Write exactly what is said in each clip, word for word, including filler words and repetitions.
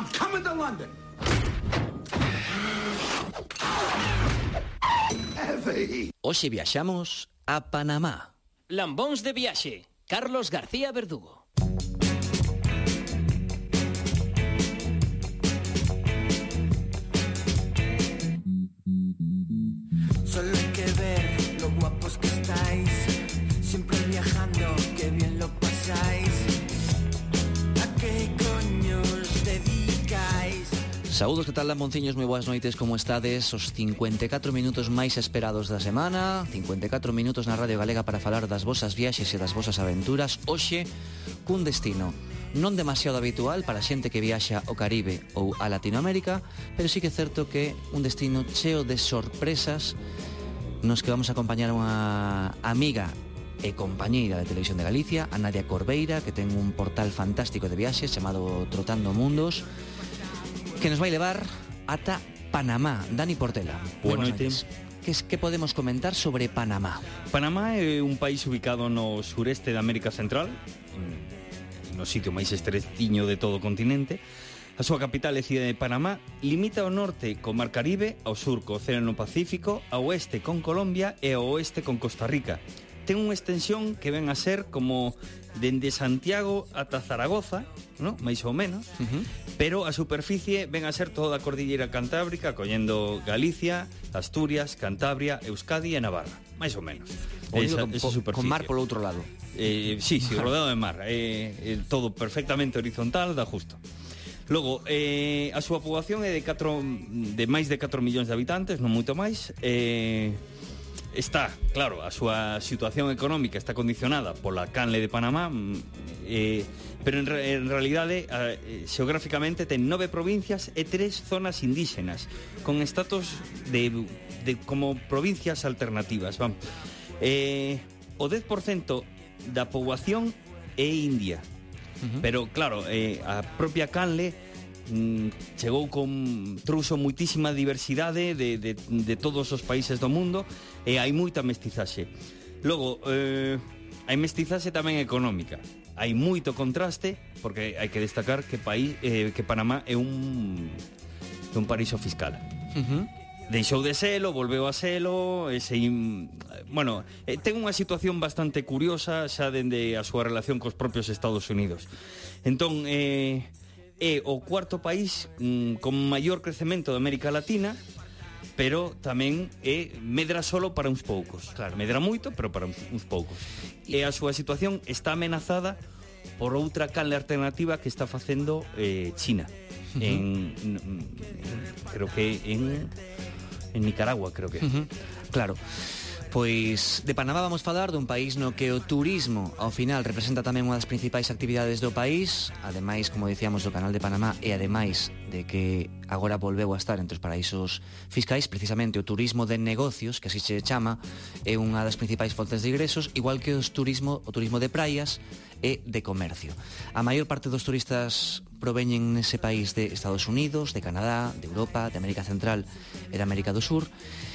I'm coming to London. Hoxe viaxamos a Panamá. Lambóns de viaxe, Carlos García Verdugo. Solo hay que ver lo guapos que estáis, siempre viajando, qué bien lo pasáis. ¿A qué coño os dedicáis? Saúdos, que tal, lambonciños, moi boas noites, como estades? Os cincuenta e catro minutos máis esperados da semana, cincuenta e catro minutos na Radio Galega para falar das vosas viaxes e das vosas aventuras. Hoxe, cun destino non demasiado habitual para xente que viaxa ao Caribe ou a Latinoamérica, pero sí que é certo que un destino cheo de sorpresas nos que vamos a acompañar unha amiga e compañeira de Televisión de Galicia, a Nadia Corbeira, que ten un portal fantástico de viaxes chamado Trotando Mundos, que nos vai levar ata Panamá. Dani Portela. Buenas noites. Que, que podemos comentar sobre Panamá? Panamá é un país ubicado no sureste da América Central, no sitio máis estretiño de todo o continente. A súa capital é Cidade de Panamá. Limita ao norte co Mar Caribe, ao sur co Océano Pacífico, ao oeste con Colombia e ao oeste con Costa Rica. Ten unha extensión que ven a ser como dende Santiago ata Zaragoza, ¿no? máis ou menos, uh-huh. pero a superficie ven a ser toda a Cordillera Cantábrica, collendo Galicia, Asturias, Cantabria, Euskadi e Navarra, máis ou menos. Esa, con, esa con mar polo outro lado. Eh, sí, sí, rodeado de mar, eh, eh, todo perfectamente horizontal, dá justo. Logo, eh, a súa poboación é de, catro, de máis de catro millóns de habitantes, non moito máis. Eh, está, claro, a súa situación económica está condicionada pola canle de Panamá, eh, pero en, en realidade, eh, xeográficamente, ten nove provincias e tres zonas indígenas, con estatus de, de como provincias alternativas. Vamos. Eh, o dez por cento da poboación é india. Uh-huh. Pero, claro, eh, a propia canle mm, chegou con trouxo moitísima diversidade de, de, de todos os países do mundo e hai moita mestizaxe. Logo, eh, hai mestizaxe tamén económica. Hai moito contraste, porque hai que destacar que, país, eh, que Panamá é un, é un paraíso fiscal. Uh-huh. Deixou de selo, volveu a selo, e se, bueno, eh, ten unha situación bastante curiosa xa dende a súa relación cos propios Estados Unidos. Entón, eh, é o cuarto país mm, con maior crecemento de América Latina, pero tamén é medra solo para uns poucos. Claro, medra moito, pero para uns, uns poucos. E a súa situación está amenazada por outra canle alternativa que está facendo eh, China. Uh-huh. En, en, creo que en... en Nicaragua, creo que. Uh-huh. Claro. Pois de Panamá vamos falar dun país no que o turismo ao final representa tamén unha das principais actividades do país, ademais, como dicíamos, do Canal de Panamá, e ademais de que agora volveu a estar entre os paraísos fiscais. Precisamente o turismo de negocios, que así se chama, é unha das principais fontes de ingresos, igual que os turismo, o turismo de praias e de comercio. A maior parte dos turistas proveñen nese país de Estados Unidos, de Canadá, de Europa, de América Central e de América do Sur,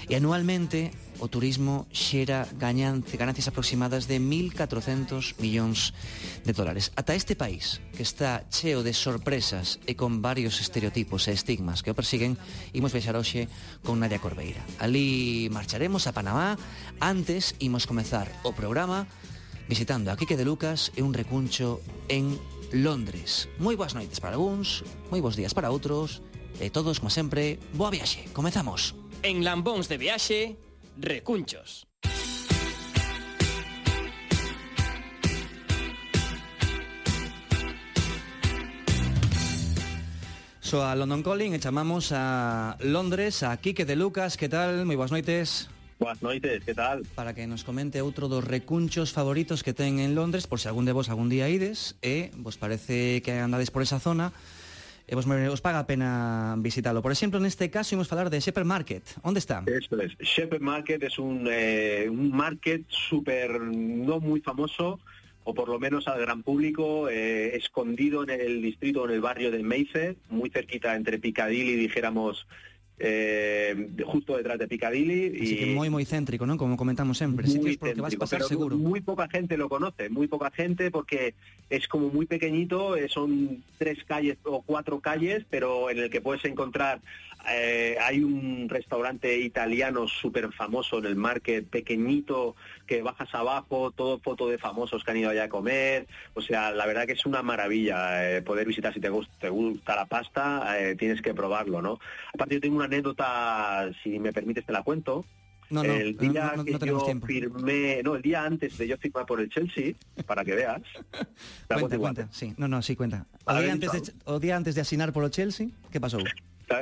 e anualmente o turismo xera gañance, ganancias aproximadas de mil catrocentos millóns de dólares. Ata este país, que está cheo de sorpresas e con varios estereotipos e estigmas que o persiguen, imos viaxar hoxe con Nadia Corbeira. Ali marcharemos a Panamá. Antes, imos comezar o programa visitando a Quique de Lucas e un recuncho en Londres. Moi boas noites para algúns, moi bons días para outros, e todos, como sempre, boa viaxe. Comezamos. En Lambóns de viaxe, recunchos. So a London Calling e chamamos a Londres a Quique de Lucas. Que tal? Moi boas noites. Boas noites, que tal? Para que nos comente outro dos recunchos favoritos que ten en Londres, por se algún de vos algún día ides e vos parece que andades por esa zona e vos, os paga a pena visitalo. Por exemplo, neste caso, imos falar de Shepherd Market. Onde está? Eso es. Shepherd Market es un, eh, un market súper no muy famoso, o por lo menos al gran público, eh, escondido en el distrito, en el barrio de Mayfair, muy cerquita entre Piccadilly, dijéramos, eh, justo detrás de Piccadilly. Así y que moi moi céntrico, non? Como comentamos sempre, sitios por que vas pasar pero seguro. Muy poca gente lo conoce, muy poca gente, porque es como muy pequeñito, eh, son tres calles o cuatro calles, pero en el que puedes encontrar, eh, hay un restaurante italiano súper famoso en el market, pequeñito, que bajas abajo, todo foto de famosos que han ido allá a comer. O sea, la verdad que es una maravilla eh, poder visitar. Si te gusta, te gusta la pasta, eh, tienes que probarlo, ¿no? Aparte, yo tengo una anécdota, si me permites te la cuento. No, no, el día no, no, que no tenemos yo tiempo. firmé, no, el día antes de yo firmar por el Chelsea, para que veas. La Cuenta, igual. cuenta, sí. No, no, sí, cuenta. O A día, ver, antes de, o día antes de asinar polo Chelsea, que pasou?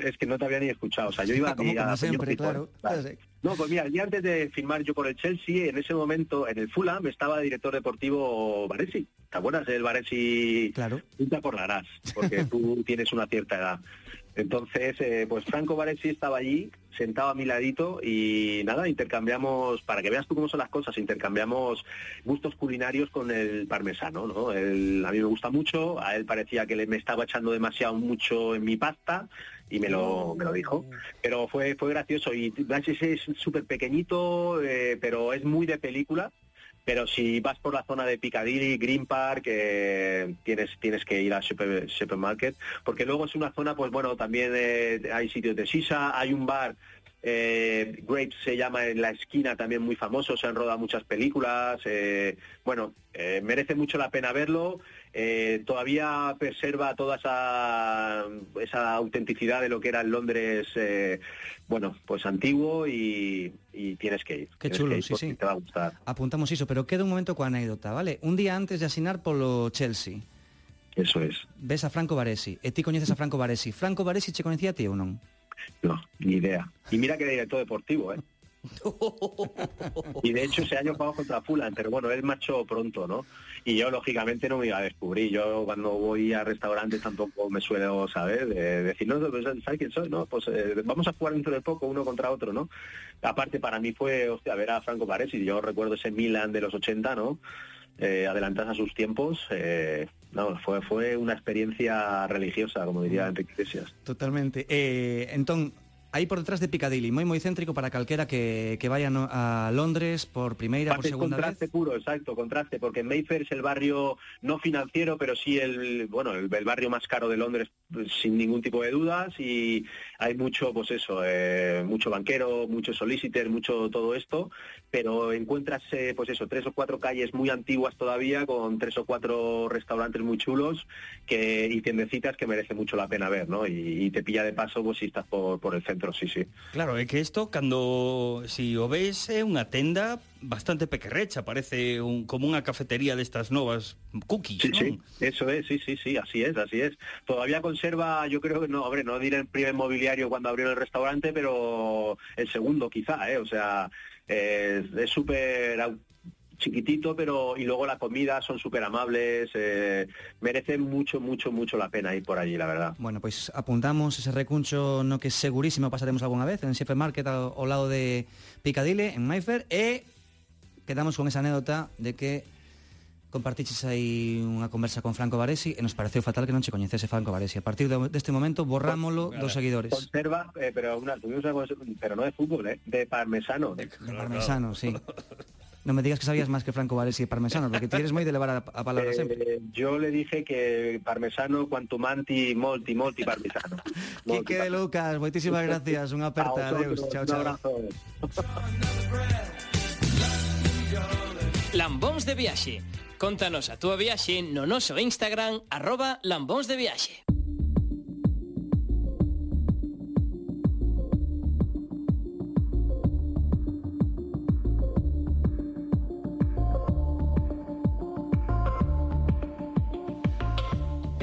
Es que no te había ni escuchado. O sea, yo iba Ah, como, a, como a sempre, claro. Vale. No, pues mira, el día antes de firmar yo por el Chelsea, en ese momento, en el Fulham, estaba el director deportivo Baresi. ¿Te acuerdas del Baresi? Claro. Tú te acordarás, porque tú tienes una cierta edad. Entonces, eh, pues Franco Baresi estaba allí, sentado a mi ladito, y nada, intercambiamos, para que veas tú cómo son las cosas, intercambiamos gustos culinarios con el parmesano, ¿no? El, a mí me gusta mucho, a él parecía que le, me estaba echando demasiado mucho en mi pasta, y me lo, me lo dijo. Pero fue, fue gracioso, y Blanches es súper pequeñito, eh, pero es muy de película. Pero si vas por la zona de Piccadilly, Green Park, eh, tienes tienes que ir a Super, Supermarket, porque luego es una zona, pues bueno, también eh, hay sitios de sisa, hay un bar, eh, Grapes se llama, en la esquina, también muy famoso, se han rodado muchas películas, eh, bueno, eh, merece mucho la pena verlo. Eh, todavía preserva toda esa esa autenticidad de lo que era el Londres, eh, bueno, pues antiguo, y, y tienes que ir. Que tienes chulo, que ir sí, sí. Te va a gustar. Apuntamos iso, pero queda un momento coa anécdota, vale? Un día antes de asinar polo Chelsea, Eso es. ves a Franco Baresi, e ti coñeces a Franco Baresi. Franco Baresi che coñecía a ti ou non? No, ni idea. Y mira que era director deportivo, ¿eh? Y de hecho ese año jugamos contra Fulham, pero bueno, él marchó pronto, ¿no? Y yo lógicamente no me iba a descubrir. Yo cuando voy a restaurantes tampoco me suelo saber, de decir, no, ¿sabes quién soy? No, pues eh, vamos a jugar dentro de poco uno contra otro, ¿no? Aparte para mí fue, hostia, ver a Franco Baresi. Yo recuerdo ese Milan de los ochenta, ¿no? Eh, adelantadas a sus tiempos, eh, no, fue fue una experiencia religiosa, como diría Enrique Iglesias. Totalmente. Eh, entón, aí por detrás de Piccadilly, moi moi céntrico para calquera que, que vaya no, a Londres por primeira, por Parte segunda contraste vez. puro, exacto, contraste, porque Mayfair es el barrio no financiero, pero sí el bueno el, el barrio más caro de Londres, sin ningún tipo de dudas, y hay mucho, pues eso, eh, mucho banquero, mucho solicitor, mucho todo esto, pero encuentras, eh, pues eso, tres o cuatro calles muy antiguas todavía, con tres o cuatro restaurantes muy chulos que y tiendecitas que merece mucho la pena ver, ¿no? Y, y te pilla de paso, pues si estás por, por el centro. Sí, sí. Claro, é que isto, cando si o ves, é unha tenda bastante pequerrecha, parece un, como unha cafetería destas novas cookies, Sí, non? sí, eso es, sí, sí, sí, así es, así es. Todavía conserva, yo creo que no, hombre, no diré el primer mobiliario cuando abrieron el restaurante, pero el segundo quizá, ¿eh? O sea, eh, es súper chiquitito, pero y luego la comida son súper amables, eh, merece mucho, mucho, mucho la pena ir por allí, la verdad. Bueno, pois pues apuntamos ese recuncho no que segurísimo pasaremos algunha vez en Supermarket ao, ao lado de Piccadilly, en Mayfair, e quedamos con esa anécdota de que compartiches aí unha conversa con Franco Baresi e nos pareceu fatal que non che coñecese Franco Baresi. A partir de, deste momento borrámolo dos seguidores. Conserva, eh, pero una, tuvimos una, pero no de fútbol, ¿eh? De parmesano. De parmesano, sí. Non me digas que sabías máis que Franco Baresi e parmesano, porque ti eres moi de levar a, a palabra eh, sempre. Yo le dije que parmesano, quanto manti, molti, molti parmesano. Quique de Lucas, moitísimas gracias, unha aperta, adeus, chao, chao. Un abrazo. Lambóns de Viaxe. Contanos a túa viaxe no noso Instagram arroba Lambóns de Viaxe.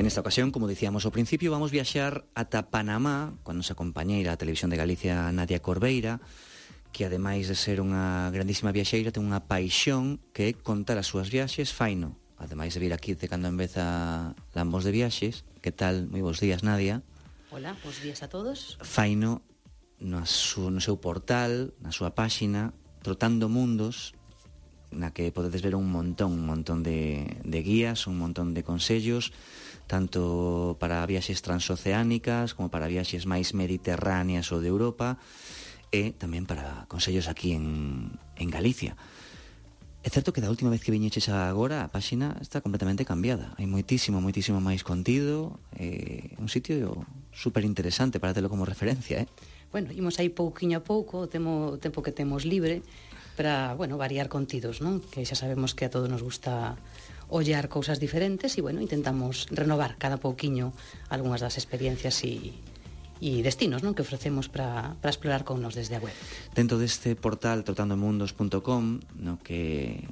En esta ocasión, como dicíamos ao principio, vamos viaxar ata Panamá con nosa compañeira a Televisión de Galicia, Nadia Corbeira, que ademais de ser unha grandísima viaxeira, ten unha paixón que é contar as súas viaxes faino. Ademais de vir aquí de cando en vez a Lambóns de Viaxes. Que tal? Moi bons días, Nadia. Hola, bons días a todos. Faino no, su, no seu portal, na súa páxina, Trotando Mundos, na que podedes ver un montón, un montón de, de guías, un montón de consellos, tanto para viaxes transoceánicas como para viaxes máis mediterráneas ou de Europa, e tamén para consellos aquí en, en Galicia. É certo que da última vez que viñeches agora a páxina está completamente cambiada. Hai moitísimo, moitísimo máis contido, é un sitio super interesante para telo como referencia, eh? Bueno, imos aí pouquiño a pouco, o temo, o tempo que temos libre para, bueno, variar contidos, non? Que xa sabemos que a todos nos gusta ollar cousas diferentes e, bueno, intentamos renovar cada pouquiño algunhas das experiencias e e destinos, non, que ofrecemos para para explorar con nos desde a web. Dentro deste portal trotandomundos punto com, no que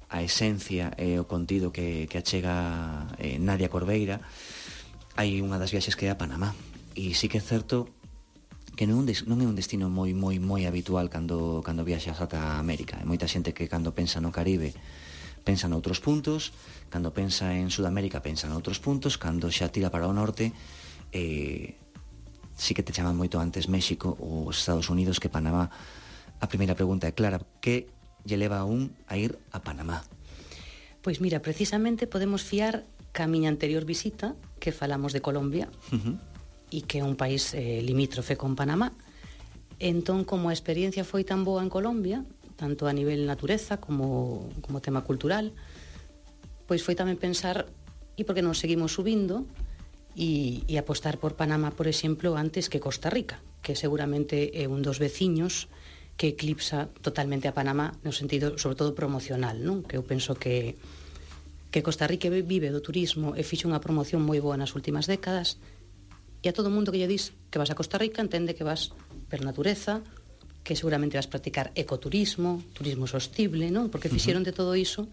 a esencia e o contido que, que achega eh, Nadia Corbeira, hai unha das viaxes que é a Panamá. E sí que é certo que non, des, non é un destino moi moi moi habitual cando cando viaxas ata América. Hai moita xente que cando pensa no Caribe pensa noutros puntos, cando pensa en Sudamérica pensa noutros puntos, cando xa tira para o norte eh, sí que te chaman moito antes México ou os Estados Unidos que Panamá. A primeira pregunta é clara, que lle leva a un a ir a Panamá? Pois mira, precisamente podemos fiar ca miña anterior visita, que falamos de Colombia, uh-huh. e que é un país eh, limítrofe con Panamá. Entón, como a experiencia foi tan boa en Colombia, tanto a nivel natureza como, como tema cultural, pois foi tamén pensar, e por que non seguimos subindo, e, e apostar por Panamá, por exemplo, antes que Costa Rica, que seguramente é un dos veciños que eclipsa totalmente a Panamá no sentido, sobre todo, promocional, non? Que eu penso que que Costa Rica vive do turismo e fixe unha promoción moi boa nas últimas décadas, e a todo mundo que lle dis que vas a Costa Rica entende que vas per natureza, que seguramente vas practicar ecoturismo, turismo sostible, non? Porque fixeron de todo iso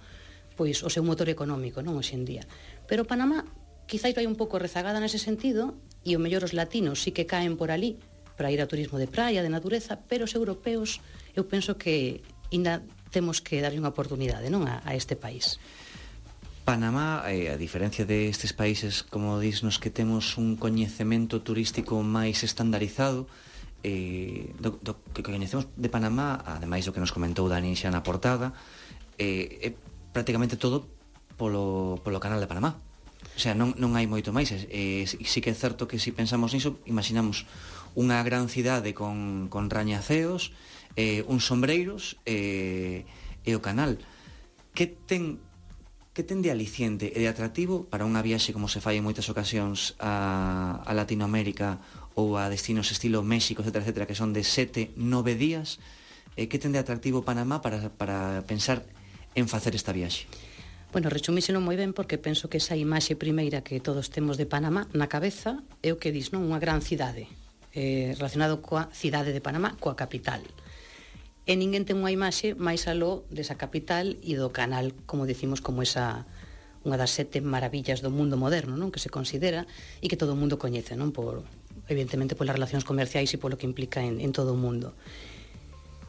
pois o seu motor económico, non, hoxe en día. Pero Panamá quizáis vai un pouco rezagada nese sentido, e o mellor os latinos sí que caen por ali para ir ao turismo de praia, de natureza, pero os europeos eu penso que ainda temos que darlle unha oportunidade, non, a, a este país. Panamá, eh, a diferencia de estes países, como disnos, que temos un coñecemento turístico máis estandarizado, eh, do, do que coñecemos de Panamá, ademais do que nos comentou Dani xa na portada, eh, é prácticamente todo polo, polo canal de Panamá. O sea, non, non hai moito máis. E, e sí que é certo que se si pensamos niso, imaginamos unha gran cidade con, con rañaceos, eh, uns sombreiros eh, e o canal. Que ten, que ten de aliciente e de atractivo para unha viaxe como se fai en moitas ocasións a, a Latinoamérica ou a destinos estilo México, etcétera, etcétera, que son de sete, nove días? Eh, que ten de atractivo Panamá para, para pensar en facer esta viaxe? Bueno, resumíselo moi ben porque penso que esa imaxe primeira que todos temos de Panamá na cabeza é o que dis, non? Unha gran cidade, eh, relacionado coa cidade de Panamá, coa capital. E ninguén ten unha imaxe máis aló desa capital e do canal, como decimos, como esa unha das sete maravillas do mundo moderno, non? Que se considera e que todo o mundo coñece, non? Por, evidentemente, polas relacións comerciais e polo que implica en, en todo o mundo.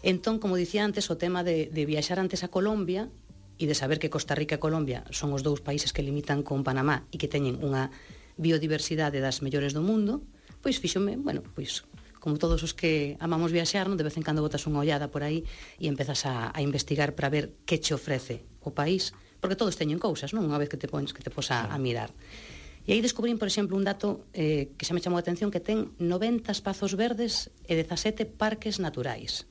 Entón, como dicía antes, o tema de, de viaxar antes a Colombia e de saber que Costa Rica e Colombia son os dous países que limitan con Panamá e que teñen unha biodiversidade das mellores do mundo, pois fíxome, bueno, pois como todos os que amamos viaxar, non, de vez en cando botas unha ollada por aí e empezas a, a investigar para ver que che ofrece o país, porque todos teñen cousas, non? Unha vez que te pones que te pos a, a mirar. E aí descubrín, por exemplo, un dato eh, que xa me chamou a atención, que ten noventa espazos verdes e dezasete parques naturais,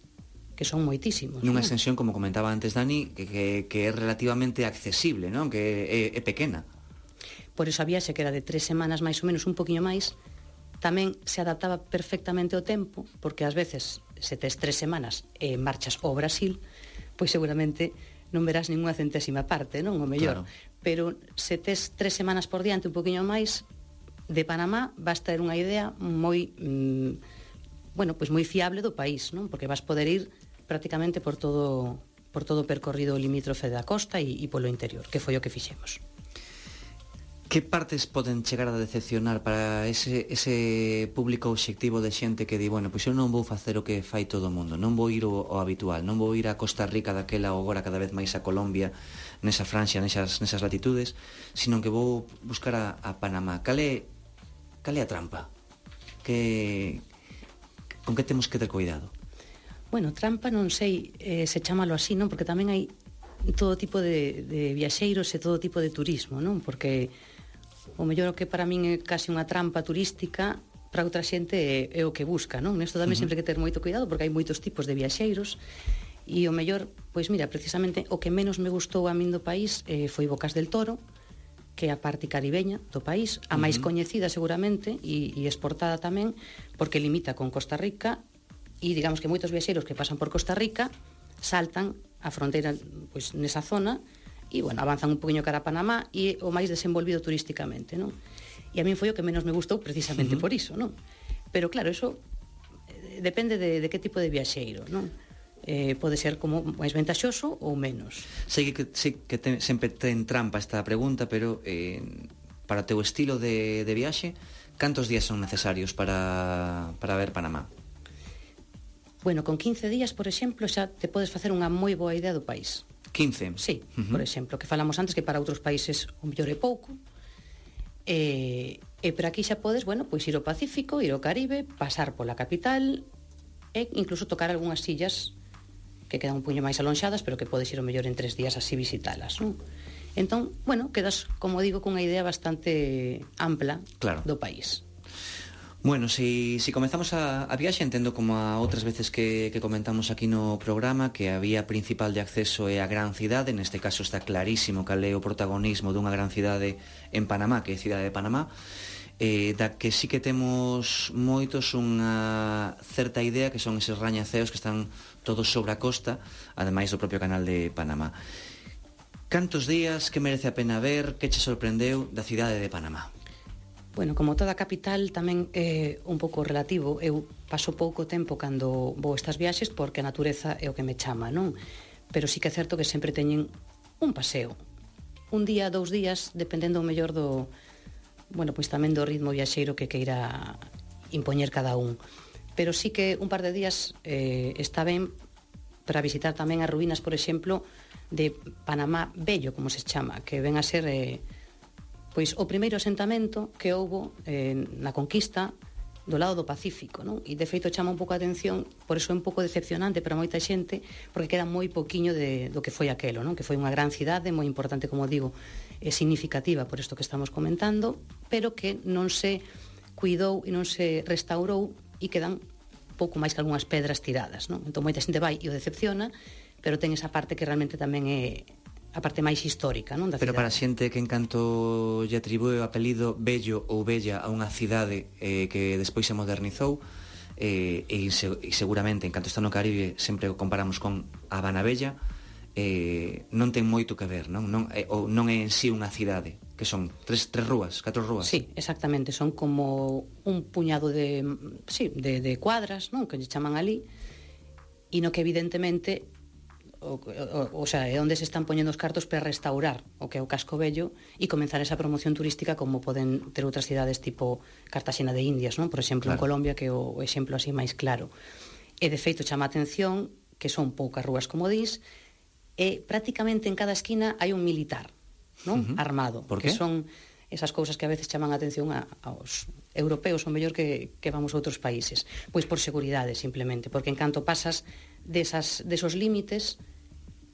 que son moitísimos. Nunha non? extensión, como comentaba antes Dani, que, que, que é relativamente accesible, non? Que é, é pequena. Por eso a viaxe, que era de tres semanas máis ou menos, un poquinho máis, tamén se adaptaba perfectamente ao tempo, porque ás veces, se tes tres semanas e marchas ao Brasil, pois seguramente non verás ninguna centésima parte, non? O mellor. Claro. Pero se tes tres semanas por diante, un poquinho máis, de Panamá vas ter unha idea moi... Mmm, bueno, pois moi fiable do país, non? Porque vas poder ir prácticamente por todo por todo o percorrido limítrofe da costa e, e polo interior, que foi o que fixemos. Que partes poden chegar a decepcionar para ese, ese público obxectivo de xente que di, bueno, pois eu non vou facer o que fai todo o mundo, non vou ir o, o habitual, non vou ir a Costa Rica daquela ou agora cada vez máis a Colombia, nesa Francia, nesas, nesas latitudes, sino que vou buscar a, a Panamá. Cal é, cal é a trampa? Que... Con que temos que ter cuidado? Bueno, trampa non sei eh, se chamalo así, non? Porque tamén hai todo tipo de, de viaxeiros e todo tipo de turismo, non? Porque o mellor que para min é casi unha trampa turística, para outra xente é, é o que busca, non? Nesto tamén uh-huh. sempre que ter moito cuidado, porque hai moitos tipos de viaxeiros, e o mellor, pois mira, precisamente o que menos me gustou a min do país eh, foi Bocas del Toro, que é a parte caribeña do país, a máis uh-huh. coñecida seguramente e, e exportada tamén, porque limita con Costa Rica. E digamos que moitos viaxeiros que pasan por Costa Rica saltan a fronteira pois, nesa zona e, bueno, avanzan un poquinho cara a Panamá e o máis desenvolvido turísticamente, non? E a min foi o que menos me gustou precisamente uh-huh. por iso, non? Pero claro, eso eh, depende de, de que tipo de viaxeiro, non? Eh, pode ser como máis ventaxoso ou menos. Sei que, sei que ten, sempre ten trampa esta pregunta, pero eh, para o teu estilo de, de viaxe, cantos días son necesarios para, para ver Panamá? Bueno, con quince días, por exemplo, xa te podes facer unha moi boa idea do país. quince? Sí, uh-huh. por exemplo, que falamos antes que para outros países o mellor é pouco. E, e por aquí xa podes, bueno, pois ir ao Pacífico, ir ao Caribe, pasar pola capital e incluso tocar algunhas illas que quedan un puño máis alonxadas, pero que podes ir o mellor en tres días así visitalas, non? Entón, bueno, quedas, como digo, con unha idea bastante ampla claro. do país. Bueno, si, si comezamos a, a viaxe, entendo como a outras veces que, que comentamos aquí no programa que a vía principal de acceso é a gran cidade. Neste caso está clarísimo cal é o protagonismo dunha gran cidade en Panamá, que é a cidade de Panamá, eh, da que sí que temos moitos unha certa idea que son eses rañaceos que están todos sobre a costa, ademais do propio canal de Panamá. Cantos días, que merece a pena ver, que che sorprendeu da cidade de Panamá? Bueno, como toda capital tamén é un pouco relativo. Eu paso pouco tempo cando vou estas viaxes porque a natureza é o que me chama, non? Pero sí que é certo que sempre teñen un paseo. Un día, dous días, dependendo o mellor do... Bueno, pois tamén do ritmo viaxeiro que queira impoñer cada un. Pero sí que un par de días eh, está ben para visitar tamén as ruínas, por exemplo, de Panamá Bello, como se chama, que ven a ser... Eh, pois o primeiro asentamento que houbo eh, na conquista do lado do Pacífico, non? E de feito chama un pouco a atención, por iso é un pouco decepcionante para moita xente, porque queda moi poquiño de, do que foi aquelo, non? Que foi unha gran cidade, moi importante, como digo, é significativa por isto que estamos comentando, pero que non se cuidou e non se restaurou e quedan pouco máis que algunhas pedras tiradas, non? Entón moita xente vai e o decepciona, pero ten esa parte que realmente tamén é a parte máis histórica, non, da Pero cidade. para a xente que en canto lle atribúe o apelido Bello ou Bella a unha cidade eh, que despois se modernizou, eh, e, se, e seguramente en canto está no Caribe sempre o comparamos con Habana Bella, eh, non ten moito que ver, non? Non, eh, ou non é en sí unha cidade, que son tres, tres rúas, catro rúas. Sí, exactamente, son como un puñado de, sí, de, de cuadras, non, que lle chaman ali, e no que evidentemente o, o, o sea, é onde se están poñendo os cartos para restaurar o que é o casco vello e comenzar esa promoción turística como poden ter outras cidades tipo Cartaxena de Indias, non? Por exemplo, claro. En Colombia, que é o exemplo así máis claro. E de feito chama a atención que son poucas rúas, como dis, e prácticamente en cada esquina hai un militar, non? Uh-huh. Armado. Por que qué? Son esas cousas que a veces chaman a atención a, aos europeos, ou mellor que, que vamos a outros países. Pois por seguridade, simplemente, porque en canto pasas desas, desos límites,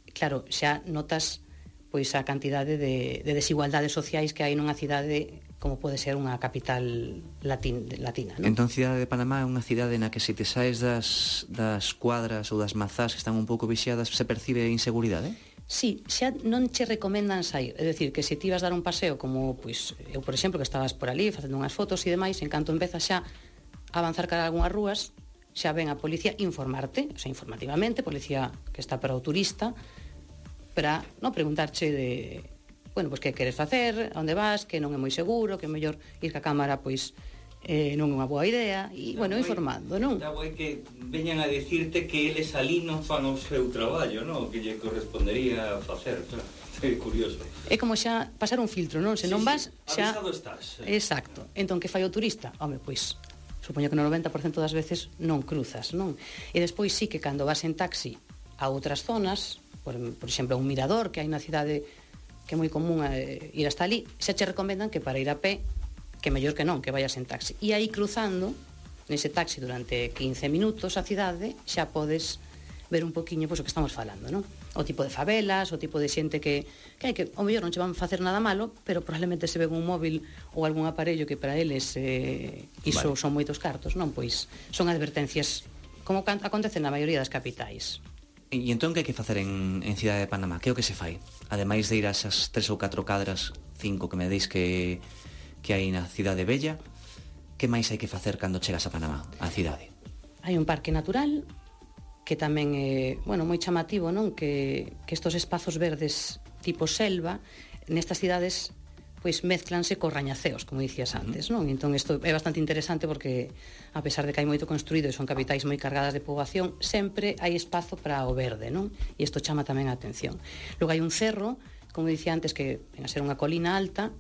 claro, xa notas pois a cantidade de, de desigualdades sociais que hai nunha cidade como pode ser unha capital latín, latina, non? Entón, cidade de Panamá é unha cidade na que se te saes das, das cuadras ou das mazás que están un pouco vixiadas, se percibe inseguridade? Sí, xa non che recomendan sair. É dicir, que se ti vas dar un paseo como, pois, eu, por exemplo, que estabas por ali facendo unhas fotos e demais, en canto empeza xa a avanzar cara a algunhas rúas, xa ven a policía informarte, o sea, informativamente, policía que está para o turista, para non preguntarche de, bueno, pois que queres facer, a onde vas, que non é moi seguro, que é mellor ir ca cámara, pois eh, non é unha boa idea, e, bueno, informando, non? Está guai que veñan a decirte que eles ali non fan o seu traballo, non? Que lle correspondería facer, claro. É curioso. É como xa pasar un filtro, non? Se sí, non vas, sí. xa... Avisado estás. Eh. Exacto. Entón, que fai o turista? Home, pois, supoño que no noventa por cento das veces non cruzas, non? E despois sí que cando vas en taxi a outras zonas, por, por exemplo, un mirador que hai na cidade que é moi común eh, ir hasta ali, xa che recomendan que para ir a pé, que mellor que non, que vayas en taxi. E aí cruzando, nese taxi durante quince minutos a cidade, xa podes ver un poquinho pois, o que estamos falando, non? O tipo de favelas, o tipo de xente que, que hai que, ao mellor non che van facer nada malo, pero probablemente se ven un móvil ou algún aparello que para eles eh, iso vale. Son moitos cartos, non? Pois son advertencias como acontece na maioría das capitais. E entón que hai que facer en, en Cidade de Panamá? Que é o que se fai? Ademais de ir a esas tres ou catro cadras, cinco que me deis que, que hai na Cidade Bella, que máis hai que facer cando chegas a Panamá, a cidade? Hai un parque natural que tamén é, bueno, moi chamativo, non? Que, que estos espazos verdes tipo selva nestas cidades pois mezclanse cos rañaceos, como dicías antes, non? Entón isto é bastante interesante porque a pesar de que hai moito construído e son capitais moi cargadas de poboación, sempre hai espazo para o verde, non? E isto chama tamén a atención. Logo hai un cerro, como dicía antes, que ven a ser unha colina alta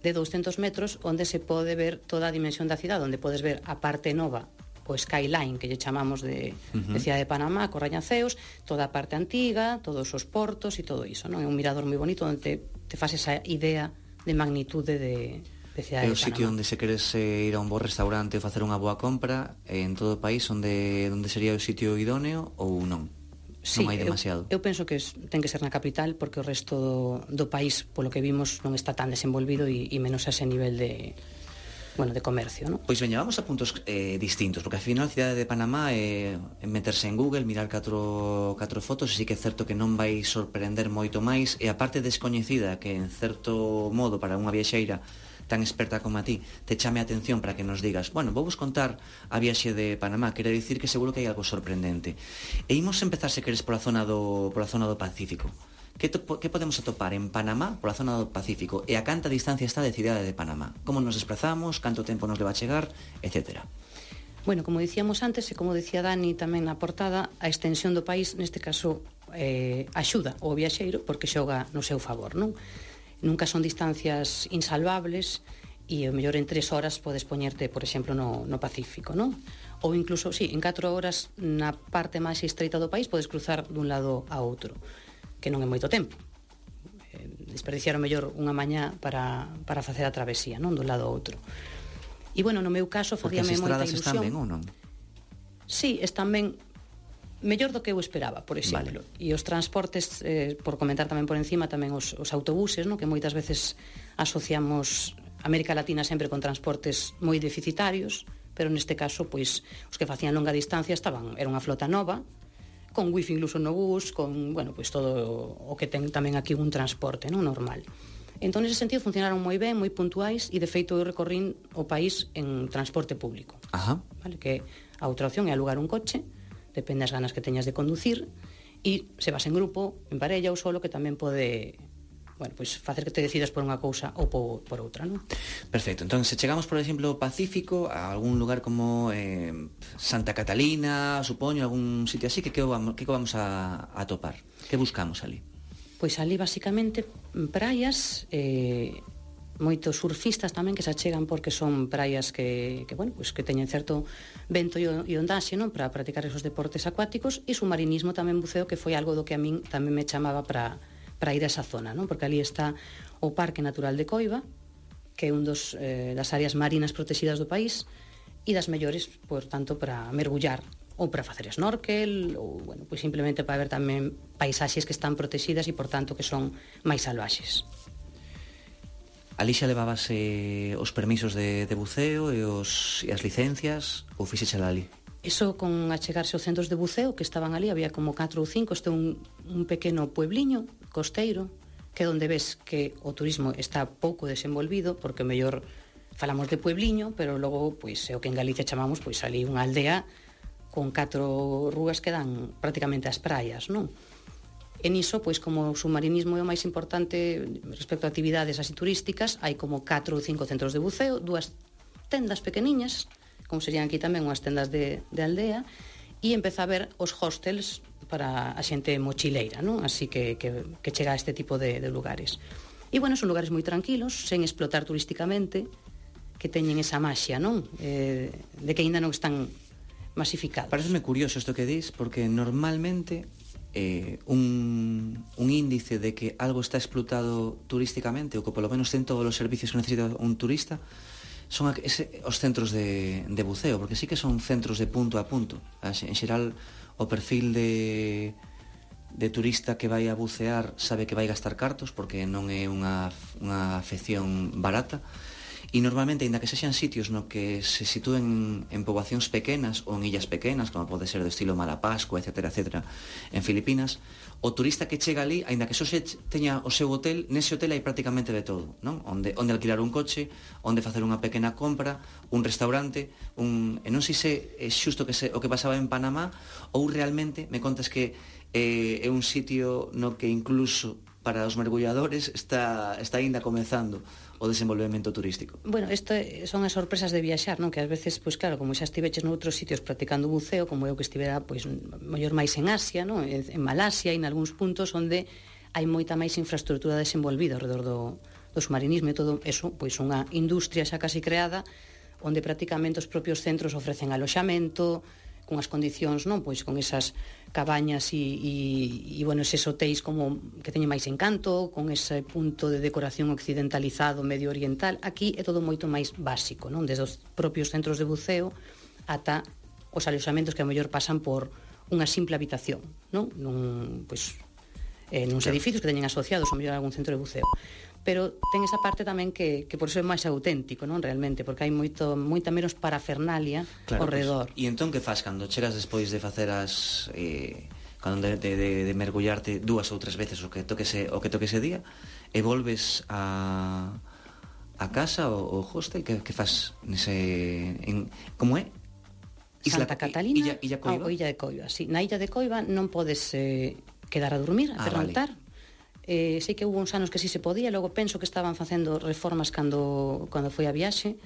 de douscentos metros onde se pode ver toda a dimensión da cidade, onde podes ver a parte nova, o skyline que lle chamamos de, uh-huh. de Cidade de Panamá, cos rañaceos, toda a parte antiga, todos os portos e todo iso, non? É un mirador moi bonito onde te, te faz esa idea de magnitude de, de Cidade de Panamá. É o sitio onde se queres eh, ir a un bo restaurante ou facer unha boa compra en todo o país onde, onde sería o sitio idóneo ou non? Sí, non hai demasiado. Eu, eu penso que es, ten que ser na capital porque o resto do, do país, polo que vimos, non está tan desenvolvido e, e menos a ese nivel de... bueno, de comercio, ¿no? Pois veña, vamos a puntos eh, distintos, porque ao final a Cidade de Panamá é eh, meterse en Google, mirar catro, catro fotos, e sí que é certo que non vai sorprender moito máis, e a parte descoñecida que en certo modo para unha viaxeira tan experta como a ti te chame a atención para que nos digas, bueno, vou vos contar a viaxe de Panamá, quere dicir que seguro que hai algo sorprendente. E imos empezar, se queres, pola zona do, pola zona do Pacífico. Que, to, que podemos atopar en Panamá pola zona do Pacífico e a canta distancia está de Cidade de Panamá? Como nos desplazamos, canto tempo nos leva a chegar, etcétera. Bueno, como dicíamos antes e como decía Dani tamén na portada, a extensión do país neste caso eh, axuda ao viaxeiro porque xoga no seu favor, non? Nunca son distancias insalvables e o mellor en tres horas podes poñerte, por exemplo, no, no Pacífico, non? Ou incluso, sí, en catro horas na parte máis estreita do país podes cruzar dun lado a outro, que non é moito tempo. Eh, desperdiciaron mellor unha mañá para, para facer a travesía, non? Dun lado a outro. E, bueno, no meu caso, facíame moita ilusión. Porque as estradas están ben ou non? Sí, están ben mellor do que eu esperaba, por exemplo. Vale. E os transportes, eh, por comentar tamén por encima, tamén os, os autobuses, non? Que moitas veces asociamos América Latina sempre con transportes moi deficitarios, pero neste caso, pois, os que facían longa distancia estaban, era unha flota nova, con wifi incluso no bus, con, bueno, pois todo o que ten tamén aquí un transporte, non, normal. Entón, nese sentido, funcionaron moi ben, moi puntuais, e de feito eu recorrín o país en transporte público. Ajá. Vale, que a outra opción é alugar un coche, depende das ganas que teñas de conducir, e se vas en grupo, en parella ou solo, que tamén pode... bueno, pois facer que te decidas por unha cousa ou por, por outra, non? Perfecto. Entón, se chegamos, por exemplo, ao Pacífico, a algún lugar como eh, Santa Catalina, supoño, algún sitio así, que que vamos, que vamos a, a topar? Que buscamos ali? Pois ali, basicamente, praias, eh, moitos surfistas tamén que se achegan porque son praias que, que bueno, pois que teñen certo vento e ondaxe, non? Para practicar esos deportes acuáticos, e submarinismo tamén, buceo, que foi algo do que a min tamén me chamaba para... para ir a esa zona, non? Porque ali está o Parque Natural de Coiba, que é un dos, eh, das áreas marinas protegidas do país e das mellores, por tanto, para mergullar ou para facer snorkel ou, bueno, pois simplemente para ver tamén paisaxes que están protegidas e, por tanto, que son máis salvaxes. Ali xa levabas eh, os permisos de, de buceo e, os, e as licencias ou fixecha ali? Iso con achegarse aos centros de buceo que estaban ali, había como catro ou cinco, este é un, un pequeno puebliño costeiro, que é onde ves que o turismo está pouco desenvolvido, porque mellor falamos de puebliño, pero logo, pois, é o que en Galicia chamamos, pois, ali unha aldea con catro rúas que dan prácticamente as praias, non? E niso, pois, como o submarinismo é o máis importante respecto a actividades así turísticas, hai como catro ou cinco centros de buceo, dúas tendas pequeniñas, como serían aquí tamén unhas tendas de, de aldea, e empeza a ver os hostels para a xente mochileira, non? Así que, que, que chega a este tipo de, de lugares. E, bueno, son lugares moi tranquilos, sen explotar turísticamente, que teñen esa maxia, non? Eh, de que aínda non están masificados. Pareceme curioso isto que dis, porque normalmente eh, un, un índice de que algo está explotado turísticamente, ou que polo menos ten todos os servicios que necesita un turista, son ese, os centros de, de buceo, porque sí que son centros de punto a punto. En xeral, o perfil de de turista que vai a bucear sabe que vai gastar cartos porque non é unha, unha afección barata. E normalmente, ainda que sexan sitios no que se sitúen en poboacións pequenas ou en illas pequenas, como pode ser do estilo Malapascua, etcétera, etcétera, en Filipinas, o turista que chega ali, ainda que só se teña o seu hotel, nese hotel hai prácticamente de todo, non? Onde, onde alquilar un coche, onde facer unha pequena compra, un restaurante, un... e non sei se é xusto que se, o que pasaba en Panamá, ou realmente me contas que eh, é un sitio no que incluso para os mergulladores está, está ainda comezando o desenvolvemento turístico. Bueno, isto son as sorpresas de viaxar, non? Que ás veces, pois claro, como xa estiveches noutros sitios practicando buceo, como eu que estivera, pois, mellor máis en Asia, non? En, en Malasia e en algúns puntos onde hai moita máis infraestructura desenvolvida ao redor do, do submarinismo e todo eso, pois unha industria xa casi creada onde prácticamente os propios centros ofrecen aloxamento, con as condicións, non? Pois con esas cabañas e, e, e bueno, eses hotéis como que teñen máis encanto, con ese punto de decoración occidentalizado, medio oriental. Aquí é todo moito máis básico, non? Desde os propios centros de buceo ata os aloxamentos que a mellor pasan por unha simple habitación, non? Nun, pois, eh, nuns edificios que teñen asociados ao mellor algún centro de buceo. Pero ten esa parte tamén que, que por iso é máis auténtico, non? Realmente, porque hai moito, moita menos parafernalia claro, ao redor. Pues, e entón que faz cando chegas despois de facer as... Eh, cando de, de, de, de mergullarte dúas ou tres veces o que toque ese, o que toque ese día e volves a, a casa ou o hostel, que, que fas nese... En, como é? Isla, Santa Catalina Illa, Illa Coiba? ou Illa de Coiba, sí. Na Illa de Coiba non podes eh, quedar a dormir, a ah, pernoctar. Vale. Eh, sei que hubo uns anos que sí se podía, logo penso que estaban facendo reformas cando, cando foi a viaxe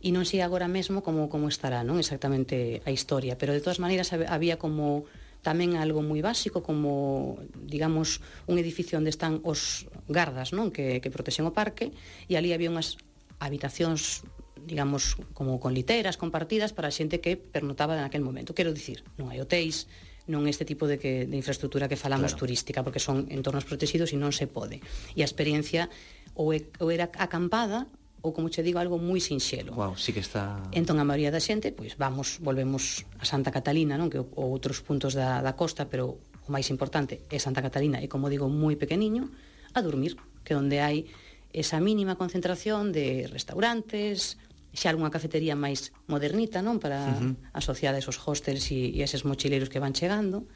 e non sei agora mesmo como, como estará, non exactamente a historia, pero de todas maneiras había como tamén algo moi básico, como, digamos, un edificio onde están os gardas, non? Que, que protexen o parque, e ali había unhas habitacións, digamos, como con literas compartidas para a xente que pernotaba naquel momento. Quero dicir, non hai hotéis, non este tipo de, que, de infraestructura que falamos claro. Turística, porque son entornos protegidos e non se pode. E a experiencia ou, é, ou era acampada ou, como che digo, algo moi sinxelo. Wow, sí que está... Entón, a maioría da xente, pois vamos, volvemos a Santa Catalina, non? Que ou outros puntos da, da costa, pero o máis importante é Santa Catalina, e, como digo, moi pequeniño, a dormir, que onde hai esa mínima concentración de restaurantes, xa algunha cafetería máis modernita, non? Para uh-huh. asociar esos hostels e, e eses mochileiros que van chegando.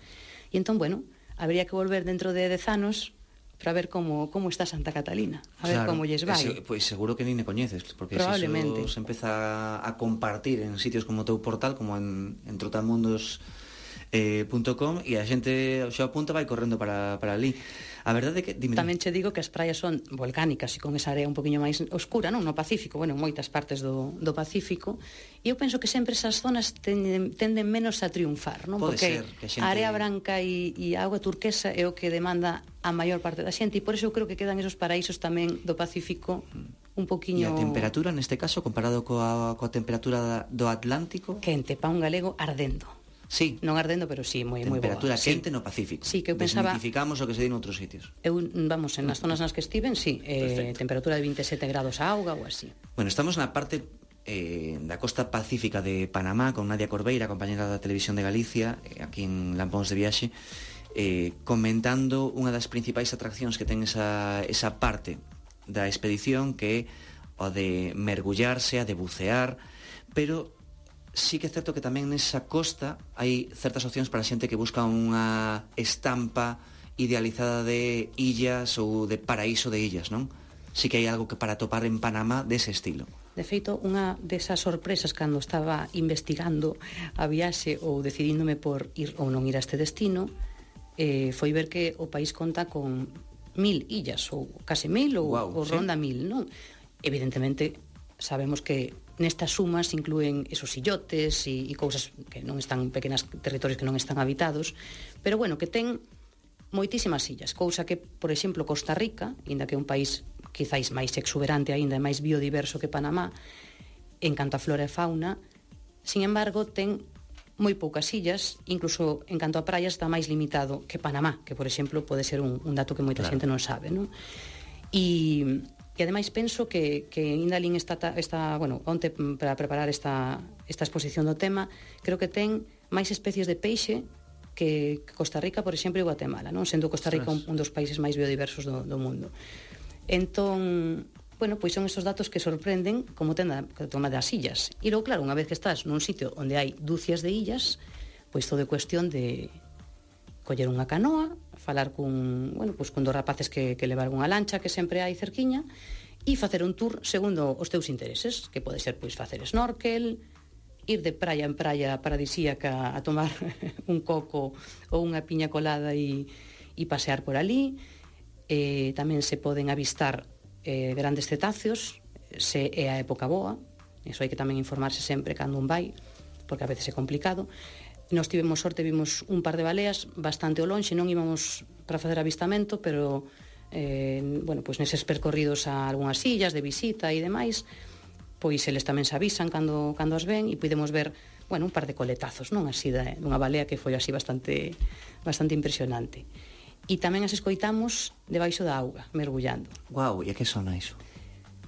E entón, bueno, habría que volver dentro de dez anos para ver como, como está Santa Catalina, a ver claro, como lles vai. Ese, pois seguro que nin me coñeces, porque se iso se empeza a compartir en sitios como o teu portal, como en, en trotamundos punto com, e a xente xa apunta vai correndo para, para ali. A verdade é que... Dime, tamén che digo que as praias son volcánicas e con esa area un poquinho máis oscura, non? No Pacífico, bueno, en moitas partes do, do Pacífico, e eu penso que sempre esas zonas tenden, tenden menos a triunfar, non? Pode porque ser, que a xente... a area branca e, e a auga turquesa é o que demanda a maior parte da xente, e por iso eu creo que quedan esos paraísos tamén do Pacífico un poquinho... E a temperatura, neste caso, comparado coa, coa temperatura do Atlántico? Quente, pa un galego ardendo. Sí. Non ardendo, pero sí, moi moi boa. Temperatura quente sí. No Pacífico. Sí, que eu pensaba... Desmitificamos o que se di noutros sitios. Eu, vamos, en as zonas nas que estiven, sí, eh, temperatura de veintisiete grados a auga ou así. Bueno, estamos na parte eh, da costa pacífica de Panamá con Nadia Corbeira, compañera da Televisión de Galicia, eh, aquí en Lampóns de Viaxe, eh, comentando unha das principais atraccións que ten esa, esa parte da expedición, que é o de mergullarse, a de bucear, pero sí que é certo que tamén nesa costa hai certas opcións para a xente que busca unha estampa idealizada de illas ou de paraíso de illas, non? Sí que hai algo que para topar en Panamá dese estilo. De feito, unha desas sorpresas cando estaba investigando a viaxe ou decidíndome por ir ou non ir a este destino, eh, foi ver que o país conta con mil illas, ou case mil, ou, wow, ou ronda ¿sí? mil, non? Evidentemente, sabemos que nestas sumas inclúen esos illotes e, e cousas que non están, pequenas territorios que non están habitados, pero bueno, que ten moitísimas illas, cousa que, por exemplo, Costa Rica, inda que é un país quizáis máis exuberante aínda, máis biodiverso que Panamá, en canto a flora e fauna, sin embargo, ten moi poucas illas, incluso en canto a praias está máis limitado que Panamá, que, por exemplo, pode ser un, un dato que moita claro. xente non sabe, non? E... E ademais penso que, que Indalín está, está, bueno, onte para preparar esta, esta exposición do tema, creo que ten máis especies de peixe que Costa Rica, por exemplo, e Guatemala, non? Sendo Costa Rica un, un dos países máis biodiversos do, do mundo. Entón, bueno, pois son estes datos que sorprenden como ten a toma das illas. E logo, claro, unha vez que estás nun sitio onde hai dúcias de illas, pois todo é cuestión de coller unha canoa, falar cun, bueno, pois cun dos rapaces que, que levar unha lancha que sempre hai cerquiña, e facer un tour segundo os teus intereses, que pode ser pois facer snorkel, ir de praia en praia paradisíaca a tomar un coco ou unha piña colada e, e pasear por ali. Eh, tamén se poden avistar eh, grandes cetáceos, se é a época boa, iso hai que tamén informarse sempre cando un vai, porque a veces é complicado. Nos tivemos sorte, vimos un par de baleas bastante ao lonxe, non íbamos para facer avistamento, pero eh, bueno, pois neses percorridos a algunhas illas de visita e demais, pois eles tamén se avisan cando, cando as ven, e podemos ver, bueno, un par de coletazos, non? Así de, dunha balea que foi así bastante bastante impresionante. E tamén as escoitamos debaixo da auga, mergullando. Guau, e a que sona iso?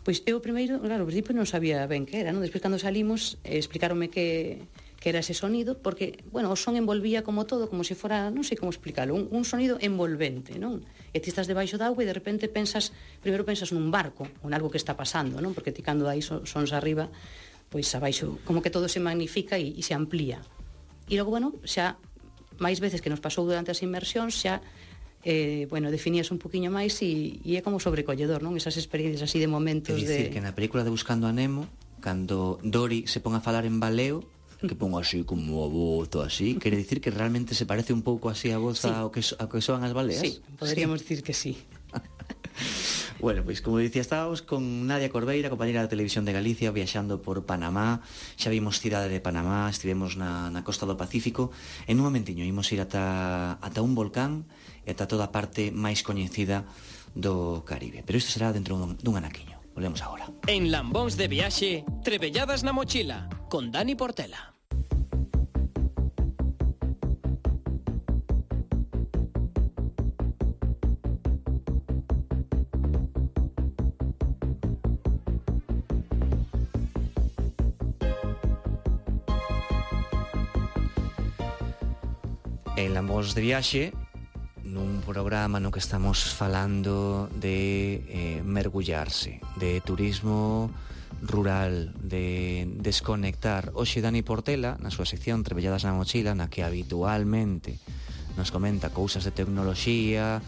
Pois eu primeiro, claro, ao principio non sabía ben que era, non? Despois cando salimos, eh, explicaronme que, que era ese sonido, porque, bueno, o son envolvía como todo, como se fora, non sei como explicarlo, un, un sonido envolvente, non? E ti estás debaixo da auga e de repente pensas, primeiro pensas nun barco, ou algo que está pasando, non? Porque ti cando hai sons arriba, pois abaixo, como que todo se magnifica e, e se amplía. E logo, bueno, xa, máis veces que nos pasou durante as inmersións, xa eh, bueno, definías un poquinho máis e, e é como sobrecolledor, non? Esas experiencias así de momentos de... É dicir, de... que na película de Buscando a Nemo, cando Dory se pon a falar en baleo, que pon así como a voz ou así, quere dicir que realmente se parece un pouco así a voz sí. ao que, ao que soan as baleas? Sí, poderíamos sí. dicir que sí. Bueno, pois como dicía, estábamos con Nadia Corbeira, compañera da Televisión de Galicia, viaxando por Panamá. Xa vimos cidade de Panamá, estivemos na, na costa do Pacífico. En un momentiño imos ir ata, ata un volcán e ata toda a parte máis coñecida do Caribe. Pero isto será dentro dun, dun anaquiño. Volvemos agora. En Lambóns de Viaxe, Trebelladas na Mochila, con Dani Portela. En Lambóns de Viaxe, nun programa no que estamos falando de eh, mergullarse, de turismo rural, de desconectar. Hoxe Dani Portela, na súa sección Trebelladas na Mochila, na que habitualmente nos comenta cousas de tecnoloxía,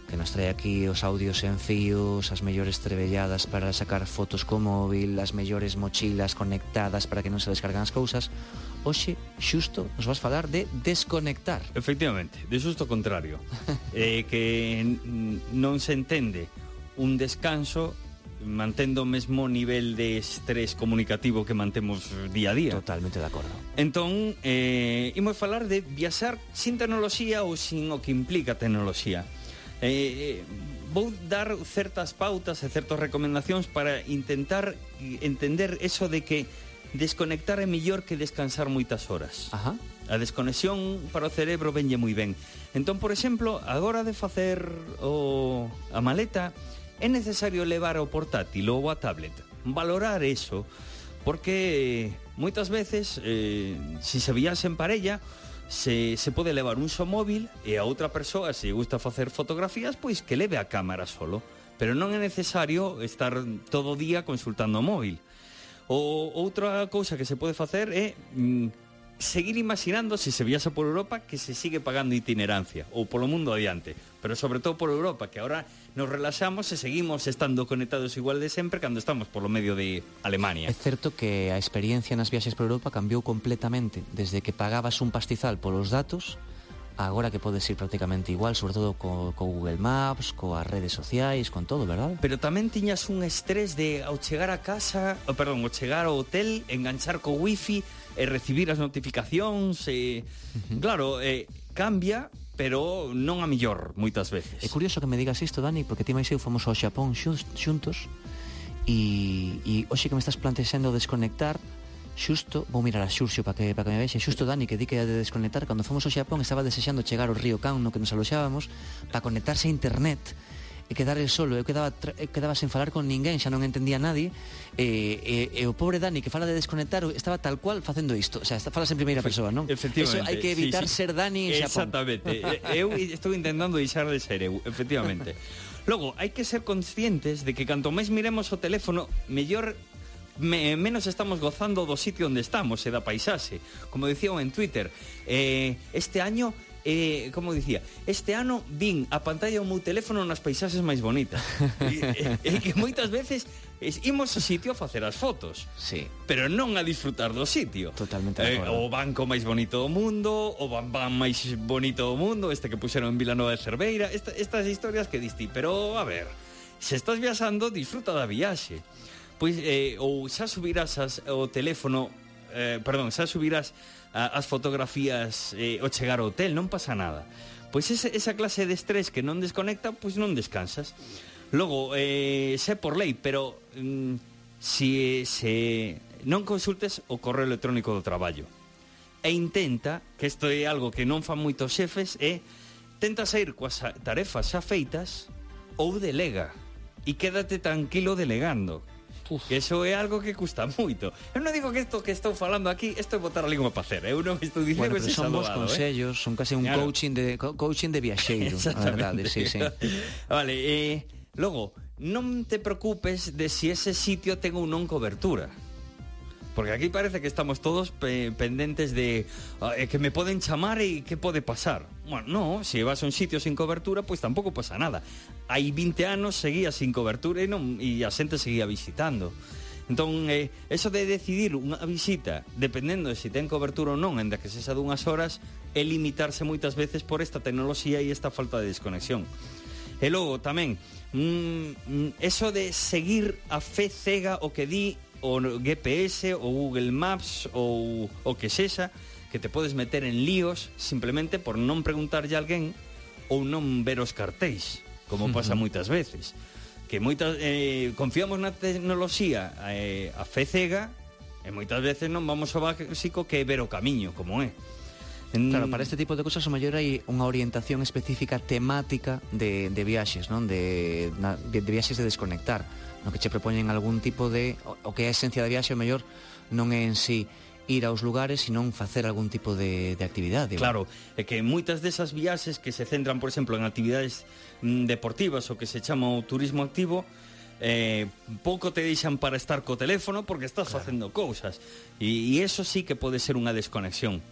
que nos trae aquí os audios en fíos, as mellores trebelladas para sacar fotos co móvil, as mellores mochilas conectadas para que non se descargan as cousas. Hoxe, xusto, nos vas falar de desconectar. Efectivamente, de xusto contrario. eh, que non se entende un descanso mantendo o mesmo nivel de estrés comunicativo que mantemos día a día. Totalmente de acordo. Entón, eh, imos falar de viaxar sin tecnoloxía ou sin o que implica tecnoloxía. Eh, vou dar certas pautas e certas recomendacións para intentar entender eso de que desconectar é mellor que descansar moitas horas. Ajá. A desconexión para o cerebro venlle moi ben. Entón, por exemplo, agora de facer o, a maleta, é necesario levar o portátil ou a tablet. Valorar eso, porque moitas veces, eh, se se viaxe en parella, se, se pode levar un só móvil e a outra persoa, se gusta facer fotografías, pois que leve a cámara solo. Pero non é necesario estar todo o día consultando o móvil. O outra cousa que se pode facer é mm, seguir imaginando, se se viaxa por Europa, que se sigue pagando itinerancia ou polo mundo adiante, pero sobre todo por Europa, que agora nos relaxamos e seguimos estando conectados igual de sempre cando estamos polo medio de Alemania. É certo que a experiencia nas viaxes por Europa cambiou completamente desde que pagabas un pastizal polos datos, agora que podes ir prácticamente igual, sobre todo co, co Google Maps, coas redes sociais, con todo, verdad? Pero tamén tiñas un estrés de ao chegar a casa, oh, perdón, ao chegar ao hotel, enganchar co wifi e recibir as notificacións e, uh-huh. claro, eh, cambia, pero non a millor moitas veces. É curioso que me digas isto, Dani, porque ti máis eu fomos ao Xapón xuntos e, e hoxe que me estás plantexando desconectar, xusto, vou mirar a Xurxo para que, para que me vexe, xusto Dani, que di que de desconectar, cando fomos ao Xapón estaba desexando chegar ao río Can no que nos aloxábamos para conectarse a internet e quedar el solo. Eu quedaba, eu quedaba sen falar con ninguén, xa non entendía a nadie, e, e, e o pobre Dani, que fala de desconectar, estaba tal cual facendo isto. O sea, falas en primeira persoa, non? Efectivamente. Eso hai que evitar sí, sí. ser Dani en Xapón. Exactamente. Eu estou intentando deixar de ser eu, efectivamente. Logo, hai que ser conscientes de que canto máis miremos o teléfono, mellor me, menos estamos gozando do sitio onde estamos e da paisaxe. Como dicía en Twitter, eh, este año Eh, como dicía, este ano vin a pantalla do meu teléfono nas paisaxes máis bonitas. E, e, e que moitas veces es, imos ao sitio a facer as fotos, sí, pero non a disfrutar do sitio. Totalmente eh, de acordo. O banco máis bonito do mundo, o bambán máis bonito do mundo, este que puxeron en Vilanova de Cerveira, esta, estas historias que diste. Pero, a ver, se estás viaxando, disfruta da viaxe. Pois, eh, ou xa subirás as, o teléfono, eh, perdón, xa subirás as fotografías eh, ao chegar ao hotel, non pasa nada. Pois esa, esa clase de estrés que non desconecta, pois non descansas. Logo, eh, sé por lei, pero mm, si, se non consultes o correo electrónico do traballo. E intenta, que isto é algo que non fan moitos xefes, é tenta sair coas tarefas xa feitas ou delega. E quédate tranquilo delegando. Uf. Que eso é algo que custa moito. Eu non digo que isto que estou falando aquí, isto é botar a língua para hacer. Eu non estou dicindo bueno, que son bons consellos, eh? Son case un claro. coaching de coaching de viaxeiro, a verdade, sí, sí. Vale, eh, logo, non te preocupes de si ese sitio ten ou non cobertura. Porque aquí parece que estamos todos pe pendentes de eh, que me poden chamar e que pode pasar. Bueno, no, se vas a un sitio sin cobertura, pois pues tampouco pasa nada. Hai vinte anos seguía sin cobertura e, non, e a xente seguía visitando. Entón, eh, eso de decidir unha visita, dependendo de se ten cobertura ou non, ainda que sexa dunhas horas, é limitarse moitas veces por esta tecnoloxía e esta falta de desconexión. E logo, tamén, mm, eso de seguir a fe cega o que di o G P S ou Google Maps ou o que sexa, que te podes meter en líos simplemente por non preguntarlle a alguén ou non ver os cartéis, como pasa moitas veces, que moitas eh, confiamos na tecnoloxía eh, a fe cega e moitas veces non vamos ao básico que é ver o camiño, como é. En... Claro, para este tipo de cosas o mellor hai unha orientación específica temática de, de viaxes, non? De, na, de, de viaxes de desconectar, no que che propoñen algún tipo de... O, o que é a esencia da viaxe, o mellor non é en sí ir aos lugares, sino facer algún tipo de, de actividade. Claro, é que moitas desas viaxes que se centran, por exemplo, en actividades mm, deportivas o que se chama o turismo activo, eh, pouco te deixan para estar co teléfono porque estás claro. facendo cousas. E, e eso sí que pode ser unha desconexión.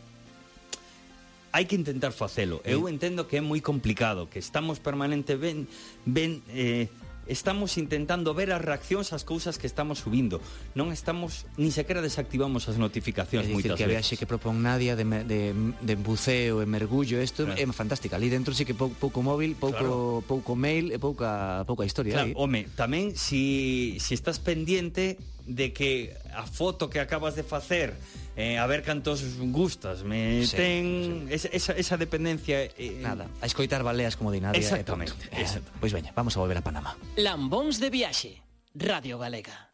Hai que intentar facelo. Eu entendo que é moi complicado, que estamos permanente ben, ben eh, estamos intentando ver as reaccións ás cousas que estamos subindo. Non estamos, ni sequera desactivamos as notificacións moitas veces. É dicir, que a viaxe que propón Nadia de, de, de buceo e mergullo, isto claro. é fantástica. Ali dentro sí que pouco, pouco móvil, pouco, claro. pouco mail e pouca, pouca historia. Claro, home, tamén si, si estás pendiente de que a foto que acabas de facer eh, a ver cantos gustas me sí, ten sí. Esa, esa dependencia eh, nada, a escoitar baleas como di Nadia. Exactamente, eh, exactamente. Pois veña, vamos a volver a Panamá. Lambóns de viaxe, Radio Galega.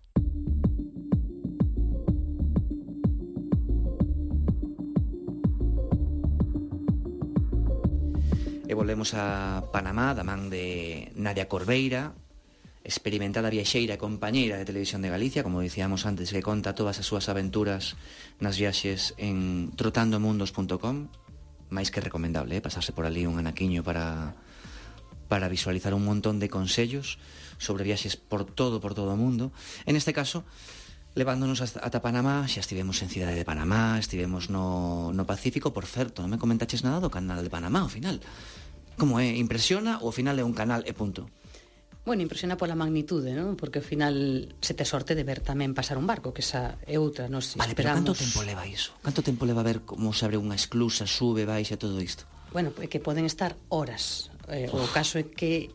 E volvemos a Panamá da man de Nadia Corveira, experimentada viaxeira e compañeira de Televisión de Galicia, como dicíamos antes, que conta todas as súas aventuras nas viaxes en trotandomundos punto com. máis que recomendable, eh? pasarse por ali un anaquiño para para visualizar un montón de consellos sobre viaxes por todo, por todo o mundo. En este caso, levándonos ata Panamá, xa estivemos en Cidade de Panamá, estivemos no, no Pacífico. Por certo, non me comentaches nada do canal de Panamá, ao final. Como é? Impresiona ou ao final é un canal e punto? Bueno, impresiona pola magnitude, non? Porque ao final se te sorte de ver tamén pasar un barco, que esa é outra, nos vale, esperamos... Pero canto tempo leva iso? Canto tempo leva ver como se abre unha esclusa, sube, baixa, todo isto? Bueno, é que poden estar horas. Eh, o caso é que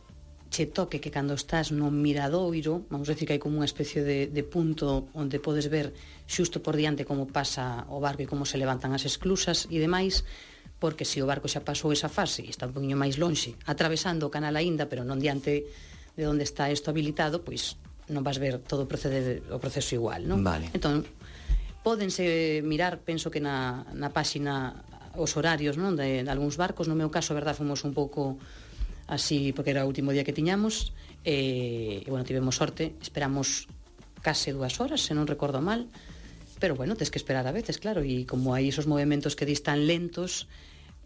che toque que cando estás no miradoiro, vamos a decir que hai como unha especie de, de punto onde podes ver xusto por diante como pasa o barco e como se levantan as esclusas e demais, porque se o barco xa pasou esa fase e está un poquinho máis lonxe, atravesando o canal aínda, pero non diante de onde está isto habilitado, pois non vas ver todo o, procede, o proceso igual, non? Vale. Entón, pódense mirar, penso que na, na páxina os horarios, non, de, de algúns barcos. No meu caso, a verdad, fomos un pouco así, porque era o último día que tiñamos, e, e bueno, tivemos sorte, esperamos case dúas horas, se non recordo mal, pero bueno, tes que esperar a veces, claro, e como hai esos movimentos que dis tan lentos,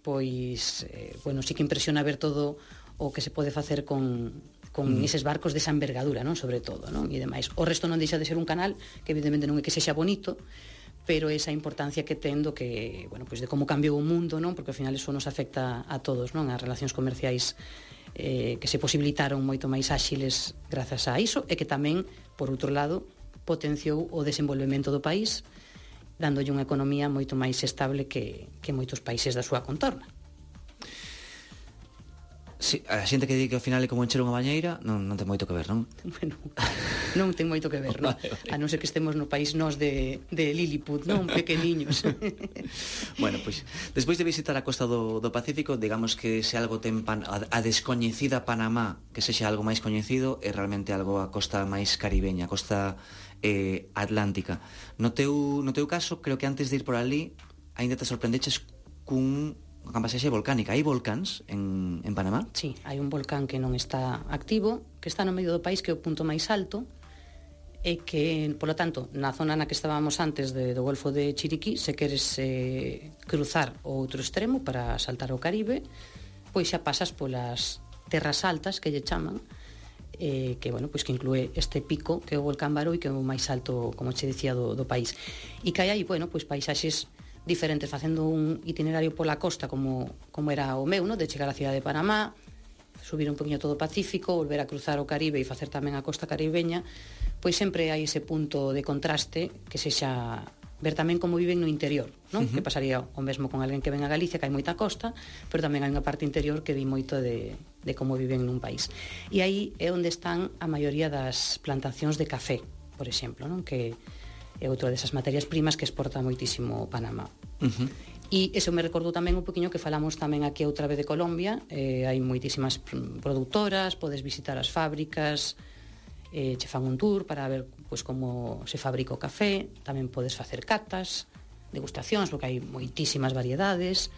pois, eh, bueno, sí que impresiona ver todo o que se pode facer con, con mm. eses barcos desa envergadura, non? Sobre todo, non? E demais. O resto non deixa de ser un canal, que evidentemente non é que sexa bonito, pero esa importancia que ten do que, bueno, pois de como cambiou o mundo, non? Porque ao final eso nos afecta a todos, non? As relacións comerciais eh, que se posibilitaron moito máis áxiles grazas a iso, e que tamén, por outro lado, potenciou o desenvolvemento do país, dándolle unha economía moito máis estable que, que moitos países da súa contorna. Sí, a xente que di que ao final é como encher unha bañeira non, non ten moito que ver, non? Bueno, non ten moito que ver, non? A non ser que estemos no país nós de, de Lilliput, non? Pequeniños. Bueno, pois, despois de visitar a costa do, do Pacífico, digamos que se algo ten pan, a, a descoñecida Panamá, que sexa algo máis coñecido, é realmente algo a costa máis caribeña, a costa eh, atlántica. No teu, no teu caso, creo que antes de ir por ali, aínda te sorprendeches cun unha pasaxe volcánica. Hai volcáns en, en Panamá? Sí, hai un volcán que non está activo, que está no medio do país, que é o punto máis alto, e que, polo tanto, na zona na que estábamos antes de, do Golfo de Chiriquí, se queres eh, cruzar o outro extremo para saltar ao Caribe, pois xa pasas polas terras altas, que lle chaman, eh, que, bueno, pois que inclúe este pico, que é o volcán Barú, que é o máis alto, como che dicía, do, do país. E que hai aí, bueno, pois paisaxes diferentes, facendo un itinerario pola costa como, como era o meu, no? De chegar á cidade de Panamá, subir un poquinho todo o Pacífico, volver a cruzar o Caribe e facer tamén a costa caribeña, pois sempre hai ese punto de contraste que sexa ver tamén como viven no interior, non? Uh-huh. Que pasaría o mesmo con alguén que ven a Galicia, que hai moita costa, pero tamén hai unha parte interior que di moito de, de como viven nun país. E aí é onde están a maioría das plantacións de café, por exemplo, non? Que é outra desas materias primas que exporta moitísimo Panamá. Uh-huh. E eso me recordou tamén un poquinho que falamos tamén aquí outra vez de Colombia, eh, hai moitísimas produtoras, podes visitar as fábricas, eh, che fan un tour para ver pois, como se fabrica o café, tamén podes facer catas, degustacións, porque hai moitísimas variedades.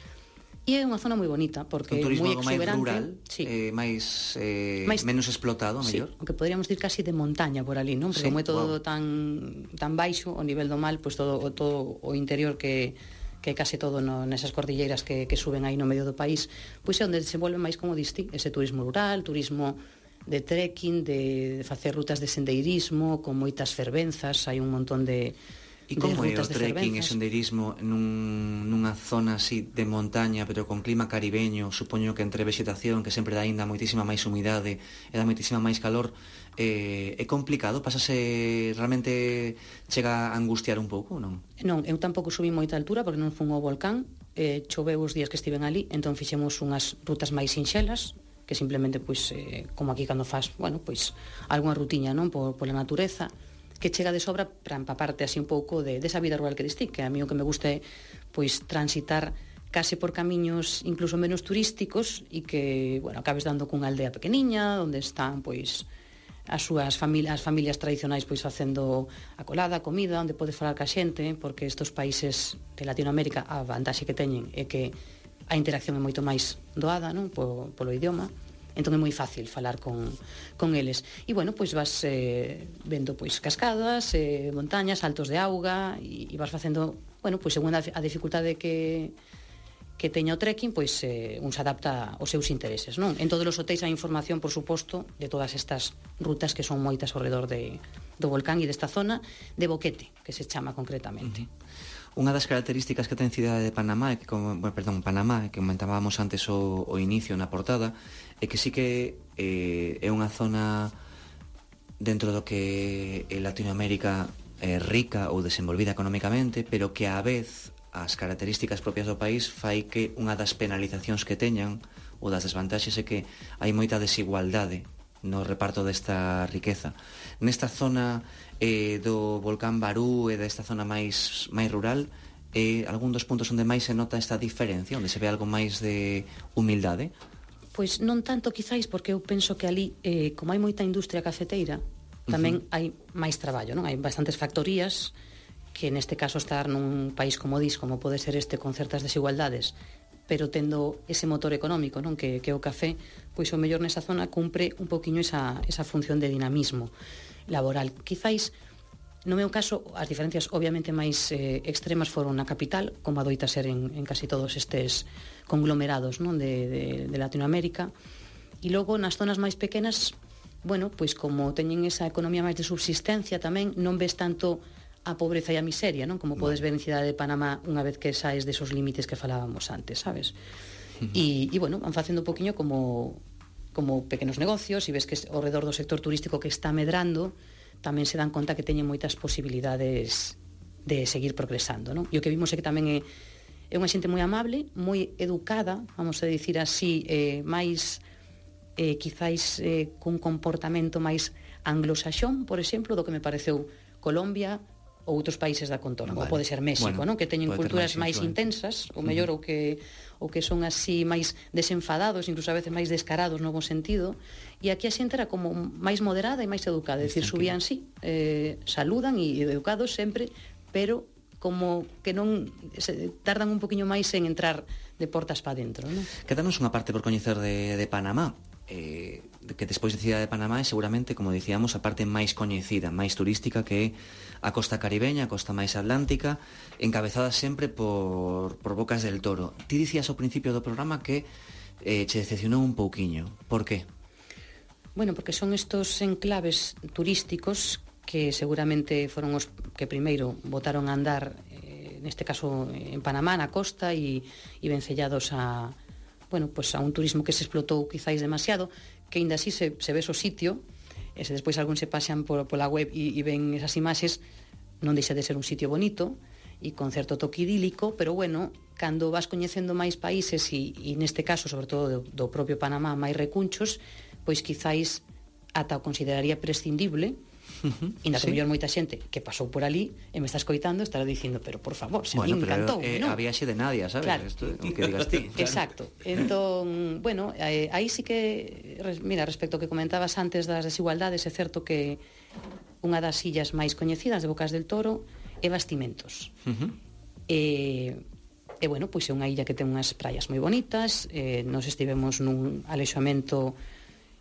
E é unha zona moi bonita, porque é moi exuberante, máis rural, sí. eh, máis, eh, máis menos explotado, sí, mellor. Aunque poderíamos dir casi de montaña por ali, non? Porque sí, como é todo wow. tan tan baixo, o nivel do mar, pois pues todo, todo o interior que que é case todo no, nesas cordilleras que, que suben aí no medio do país, pois é onde se volve máis, como diste, ese turismo rural, turismo de trekking, de, de facer rutas de sendeirismo, con moitas fervenzas, hai un montón de E como é o trekking e sendeirismo nun, nunha zona así de montaña, pero con clima caribeño? Supoño que entre vegetación, que sempre dá ainda moitísima máis humidade e dá moitísima máis calor, eh, é complicado? Pásase, realmente chega a angustiar un pouco, non? Non, eu tampouco subí moita altura porque non fun ao volcán, eh, choveu os días que estiven ali, entón fixemos unhas rutas máis sinxelas, que simplemente, pois, eh, como aquí cando faz, bueno, pois, algunha rutiña, non, por, pola natureza, que chega de sobra para empaparte así un pouco de desa vida rural que diste, que a mí o que me gusta é pois transitar case por camiños incluso menos turísticos e que, bueno, acabes dando cunha aldea pequeniña onde están pois as súas familias, as familias tradicionais pois facendo a colada, a comida, onde podes falar ca xente, porque estes países de Latinoamérica a vantaxe que teñen é que a interacción é moito máis doada, non, polo, polo idioma. Entón é moi fácil falar con, con eles. E, bueno, pois vas eh, vendo pois cascadas, eh, montañas, saltos de auga, e, e vas facendo, bueno, pois según a, a dificultade que, que teña o trekking, pois eh, un se adapta aos seus intereses, non? En todos os hotéis hai información, por suposto, de todas estas rutas que son moitas ao redor de, do volcán e desta zona de Boquete, que se chama concretamente. Uh-huh. Unha das características que ten a cidade de Panamá, que, como, bueno, perdón, Panamá, que comentábamos antes o, o inicio na portada, é que sí que eh, é unha zona dentro do que é Latinoamérica eh, rica ou desenvolvida económicamente, pero que á vez as características propias do país fai que unha das penalizacións que teñan ou das desvantaxes é que hai moita desigualdade no reparto desta riqueza. Nesta zona eh, do volcán Barú e desta zona máis máis rural, é eh, algún dos puntos onde máis se nota esta diferencia, onde se ve algo máis de humildade? Pois non tanto quizáis, porque eu penso que ali, eh, como hai moita industria cafeteira, tamén uh-huh. hai máis traballo, non? Hai bastantes factorías que neste caso estar nun país como dis, como pode ser este, con certas desigualdades, pero tendo ese motor económico, non, que, que o café, pois o mellor nesa zona cumpre un poquinho esa, esa función de dinamismo laboral. Quizáis, no meu caso, as diferencias obviamente máis eh, extremas foron na capital, como adoita ser en, en casi todos estes conglomerados, non, de, de, de Latinoamérica, e logo nas zonas máis pequenas, bueno, pois como teñen esa economía máis de subsistencia tamén, non ves tanto a pobreza e a miseria, non? Como podes ver en Cidade de Panamá unha vez que saes desos límites que falábamos antes, sabes? E, e bueno, van facendo un poquinho como como pequenos negocios, e ves que ao redor do sector turístico que está medrando, tamén se dan conta que teñen moitas posibilidades de seguir progresando, non? E o que vimos é que tamén é, é unha xente moi amable, moi educada, vamos a dicir así, eh, máis eh, quizáis eh, cun comportamento máis anglosaxón, por exemplo, do que me pareceu Colombia ou outros países da contorna, vale. Ou pode ser México, bueno, non? Que teñen culturas máis, máis intensas, ou mellor, uh-huh. ou que ou que son así máis desenfadados, incluso a veces máis descarados no bon sentido, e aquí a xente era como máis moderada e máis educada, é dicir, subían sí, eh, saludan e educados sempre, pero como que non se, tardan un poquinho máis en entrar de portas para dentro, non? Quédanos unha parte por coñecer de, de Panamá. Eh, que despois de Cidade de Panamá é seguramente, como dicíamos, a parte máis coñecida, máis turística, que é a costa caribeña, a costa máis atlántica, encabezada sempre por, por Bocas del Toro. Ti dicías ao principio do programa que eh, che decepcionou un pouquiño. Por qué? Bueno, porque son estos enclaves turísticos que seguramente foron os que primeiro botaron a andar, eh, neste caso en Panamá, na costa, e, e vencellados a bueno, pues a un turismo que se explotou quizáis demasiado, que ainda así se, se ves o sitio, e se despois algún se pasean por, pola web e, e ven esas imaxes, non deixa de ser un sitio bonito e con certo toque idílico, pero bueno, cando vas coñecendo máis países e, e neste caso, sobre todo do, do propio Panamá, máis recunchos, pois quizáis ata o consideraría prescindible. Uh-huh. Inda que sí. Mellor moita xente que pasou por ali e me está escoitando estará dicindo, pero por favor, se bueno, me encantou, eh, non? A viaxe de Nadia, sabes? Claro. Esto, o que digas ti. Claro. Exacto. Entón, bueno, eh, aí sí que, mira, respecto ao que comentabas antes das desigualdades, é certo que unha das illas máis coñecidas de Bocas del Toro é Bastimentos. Uh-huh. E, e, bueno, pois é unha illa que ten unhas praias moi bonitas, eh, nos estivemos nun alexamento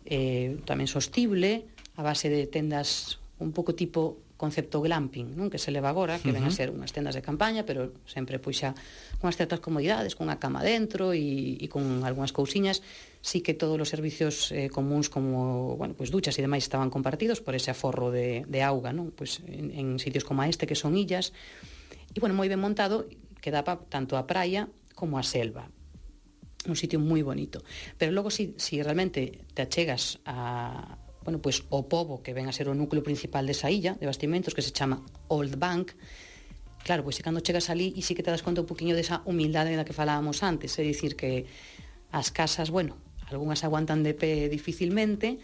eh, tamén sostible, a base de tendas un pouco tipo concepto glamping, non? Que se leva agora, que uh-huh. ven a ser unhas tendas de campaña, pero sempre pois xa con as certas comodidades, con a cama dentro e, e con algunhas cousiñas. Sí que todos os servicios eh, comuns como, bueno, pois duchas e demais estaban compartidos por ese aforro de, de auga, non? Pois en, en sitios como este, que son illas, e bueno, moi ben montado, que daba tanto a praia como a selva. Un sitio moi bonito. Pero logo, si, si realmente te achegas a bueno, pois o pobo que ven a ser o núcleo principal desa illa de Bastimentos, que se chama Old Bank, claro, pois cando chegas ali e sí que te das conta un poquinho desa humildade da que falábamos antes, é dicir que as casas, bueno, algunhas aguantan de pé dificilmente,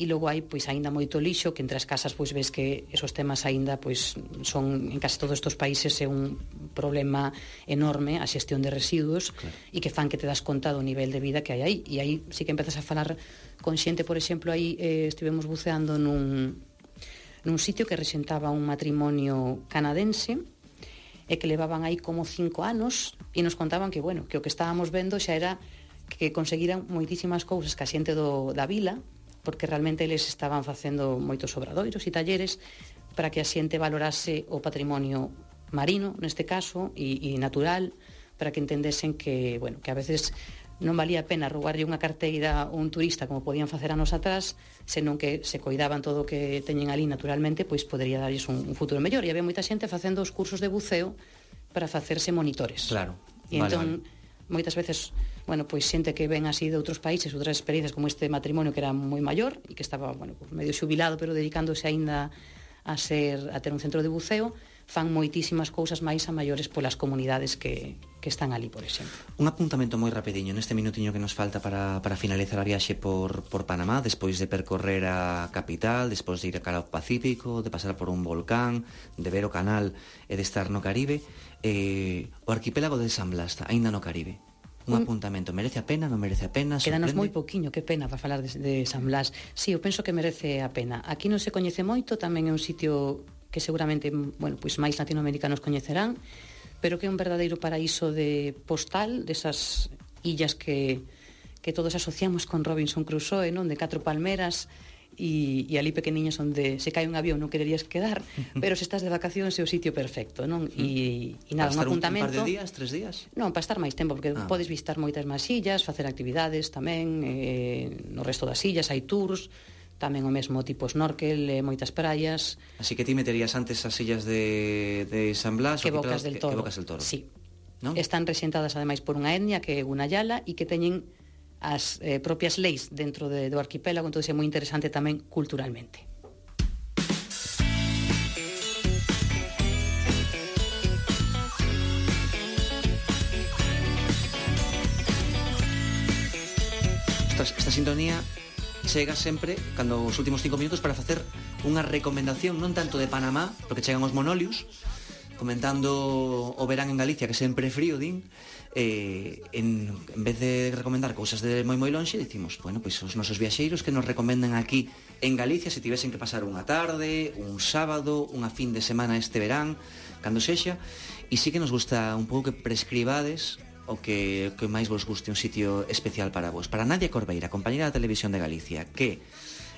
e logo hai pois aínda moito lixo, que entre as casas pois ves que esos temas aínda pois son en case todos estes países é un problema enorme a xestión de residuos, claro. E que fan que te das conta do nivel de vida que hai aí, e aí sí que empezas a falar con xente, por exemplo, aí eh, estivemos buceando nun nun sitio que rexentaba un matrimonio canadense e que levaban aí como cinco anos e nos contaban que, bueno, que o que estábamos vendo xa era que conseguiran moitísimas cousas que a xente do, da vila, porque realmente eles estaban facendo moitos obradoiros e talleres para que a xente valorase o patrimonio marino, neste caso, e, e natural, para que entendesen que, bueno, que a veces non valía a pena roubarlle unha carteira a un turista como podían facer anos atrás, senón que se coidaban todo o que teñen ali naturalmente, pois podería darlles un, un futuro mellor. E había moita xente facendo os cursos de buceo para facerse monitores. Claro. E vale, entón, vale. Moitas veces, bueno, pois xente que ven así de outros países, outras experiencias como este matrimonio que era moi maior e que estaba, bueno, pues medio xubilado, pero dedicándose aínda a ser a ter un centro de buceo, fan moitísimas cousas máis a maiores polas comunidades que, que están ali, por exemplo. Un apuntamento moi rapidiño neste minutiño que nos falta para, para finalizar a viaxe por, por Panamá, despois de percorrer a capital, despois de ir a cara ao Pacífico, de pasar por un volcán, de ver o canal e de estar no Caribe, eh, o arquipélago de San Blas, aínda no Caribe. Un, un apuntamento, merece a pena, non merece a pena? Quédanos moi poquiño, que pena para falar de, de San Blas. Sí, eu penso que merece a pena. Aquí non se coñece moito, tamén é un sitio que seguramente, bueno, pois máis latinoamericanos coñecerán, pero que é un verdadeiro paraíso de postal, desas illas que, que todos asociamos con Robinson Crusoe, non? De catro palmeras, e, e ali pequeniñas onde se cae un avión non quererías quedar, pero se estás de vacacións é o sitio perfecto, non? E, e nada, un apuntamento... Un par de días, tres días? Non, para estar máis tempo, porque ah. podes visitar moitas máis illas, facer actividades tamén, eh, no resto das illas hai tours, tamén o mesmo tipo snorkel, eh, moitas praias. Así que ti meterías antes as illas de, de San Blas que Bocas del Toro. Que Bocas del Toro. Sí. ¿No? Están resentadas ademais por unha etnia que é Gunayala e que teñen as eh, propias leis dentro de, do arquipélago, entón é moi interesante tamén culturalmente. Esta, esta sintonía chega sempre cando os últimos cinco minutos para facer unha recomendación non tanto de Panamá, porque chegan os monolius comentando o verán en Galicia, que sempre é frío, din, eh, en, en vez de recomendar cousas de moi moi lonxe, dicimos, bueno, pois os nosos viaxeiros que nos recomenden aquí en Galicia, se tivesen que pasar unha tarde, un sábado, unha fin de semana este verán, cando sexa, e sí que nos gusta un pouco que prescribades o que, que máis vos guste un sitio especial para vos. Para Nadia Corbeira, compañera da Televisión de Galicia, que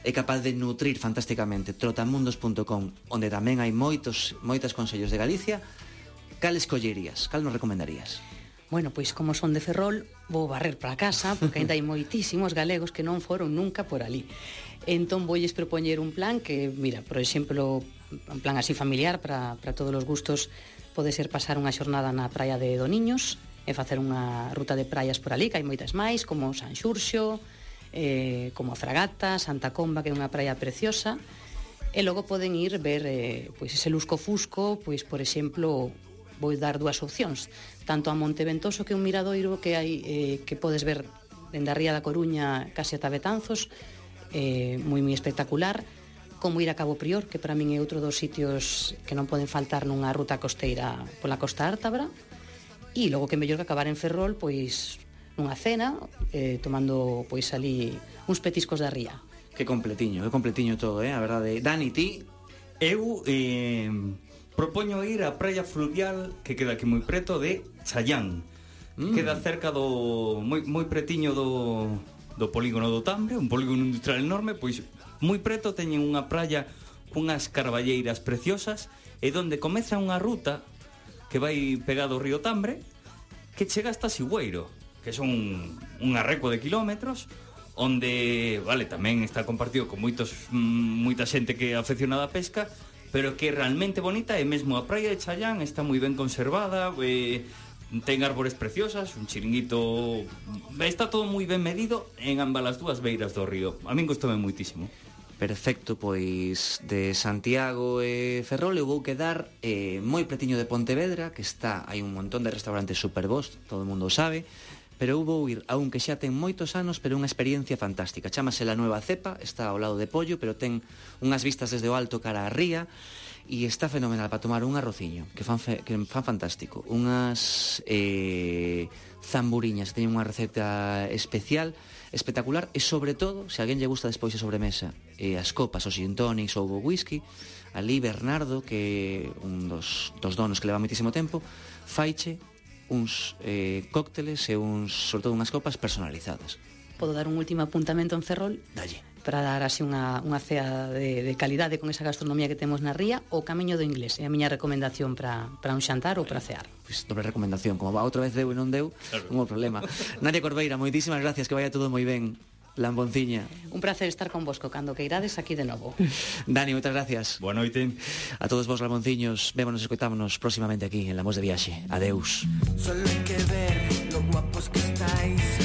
é capaz de nutrir fantásticamente trotamundos punto com, onde tamén hai moitos moitas consellos de Galicia, cal escollerías? Cal nos recomendarías? Bueno, pois como son de Ferrol, vou barrer para casa, porque ainda hai moitísimos galegos que non foron nunca por ali. Entón voulles propoñer un plan que, mira, por exemplo, un plan así familiar para, para todos os gustos, pode ser pasar unha xornada na praia de Doniños e facer unha ruta de praias por ali, que hai moitas máis, como San Xurxo, eh, como a Fragata, Santa Comba, que é unha praia preciosa, e logo poden ir ver eh, pois ese lusco-fusco, pois, por exemplo, vou dar dúas opcións, tanto a Monte Ventoso, que é un miradoiro que hai eh, que podes ver dende a ría da Coruña case ata Betanzos, eh, moi moi espectacular, como ir a Cabo Prior, que para min é outro dos sitios que non poden faltar nunha ruta costeira pola costa ártabra, e logo que mellor que acabar en Ferrol, pois nunha cena, eh, tomando pois ali uns petiscos da ría. Que completiño, que completiño todo, eh, a verdade. Dani, ti? Eu eh, propoño ir á praia fluvial que queda aquí moi preto de Chayán. Mm. Queda cerca do moi moi pretiño do do polígono do Tambre, un polígono industrial enorme, pois moi preto teñen unha praia cunhas carballeiras preciosas e donde comeza unha ruta que vai pegado ao río Tambre que chega hasta Sigüeiro, que son un arreco de kilómetros, onde, vale, tamén está compartido con moitos moita xente que é afeccionada á pesca, pero que é realmente bonita, e mesmo a praia de Chayán está moi ben conservada, eh, ten árbores preciosas, un chiringuito, está todo moi ben medido en ambas as dúas beiras do río. A min gustoume moitísimo. Perfecto, pois de Santiago e Ferrol eu vou quedar eh, moi pretiño de Pontevedra, que está, hai un montón de restaurantes super bons, todo o mundo o sabe, pero eu vou ir a un que xa ten moitos anos, pero unha experiencia fantástica. Chámase La Nueva Cepa, está ao lado de Pollo, pero ten unhas vistas desde o alto cara a ría, e está fenomenal para tomar un arrociño, que fan, fe, que fan fantástico. Unhas eh, zamburiñas, que teñen unha receta especial, espectacular, e sobre todo, se a alguén lle gusta despois a sobremesa, eh, as copas, os gin tonics ou o whisky, ali Bernardo, que é un dos, dos donos que leva moitísimo tempo, faiche uns eh, cócteles e uns, sobre todo unhas copas personalizadas. Podo dar un último apuntamento en Ferrol? Dalle. Para dar así unha, unha cea de, de calidade con esa gastronomía que temos na ría, o Camiño do Inglés é a miña recomendación para, para un xantar ou para cear. Pois dobre recomendación, como va outra vez deu e non deu, claro. Non houve problema. Nadia Corbeira, moitísimas gracias, que vaya todo moi ben. Lambonciña. Un placer estar con vosco cando que irades aquí de novo. Dani, moitas gracias. Boa noite. A todos vos, Lambonciños, vémonos e escoitámonos próximamente aquí en La Voz de Viaxe. Adeus. Solo hay que ver lo guapos que estáis.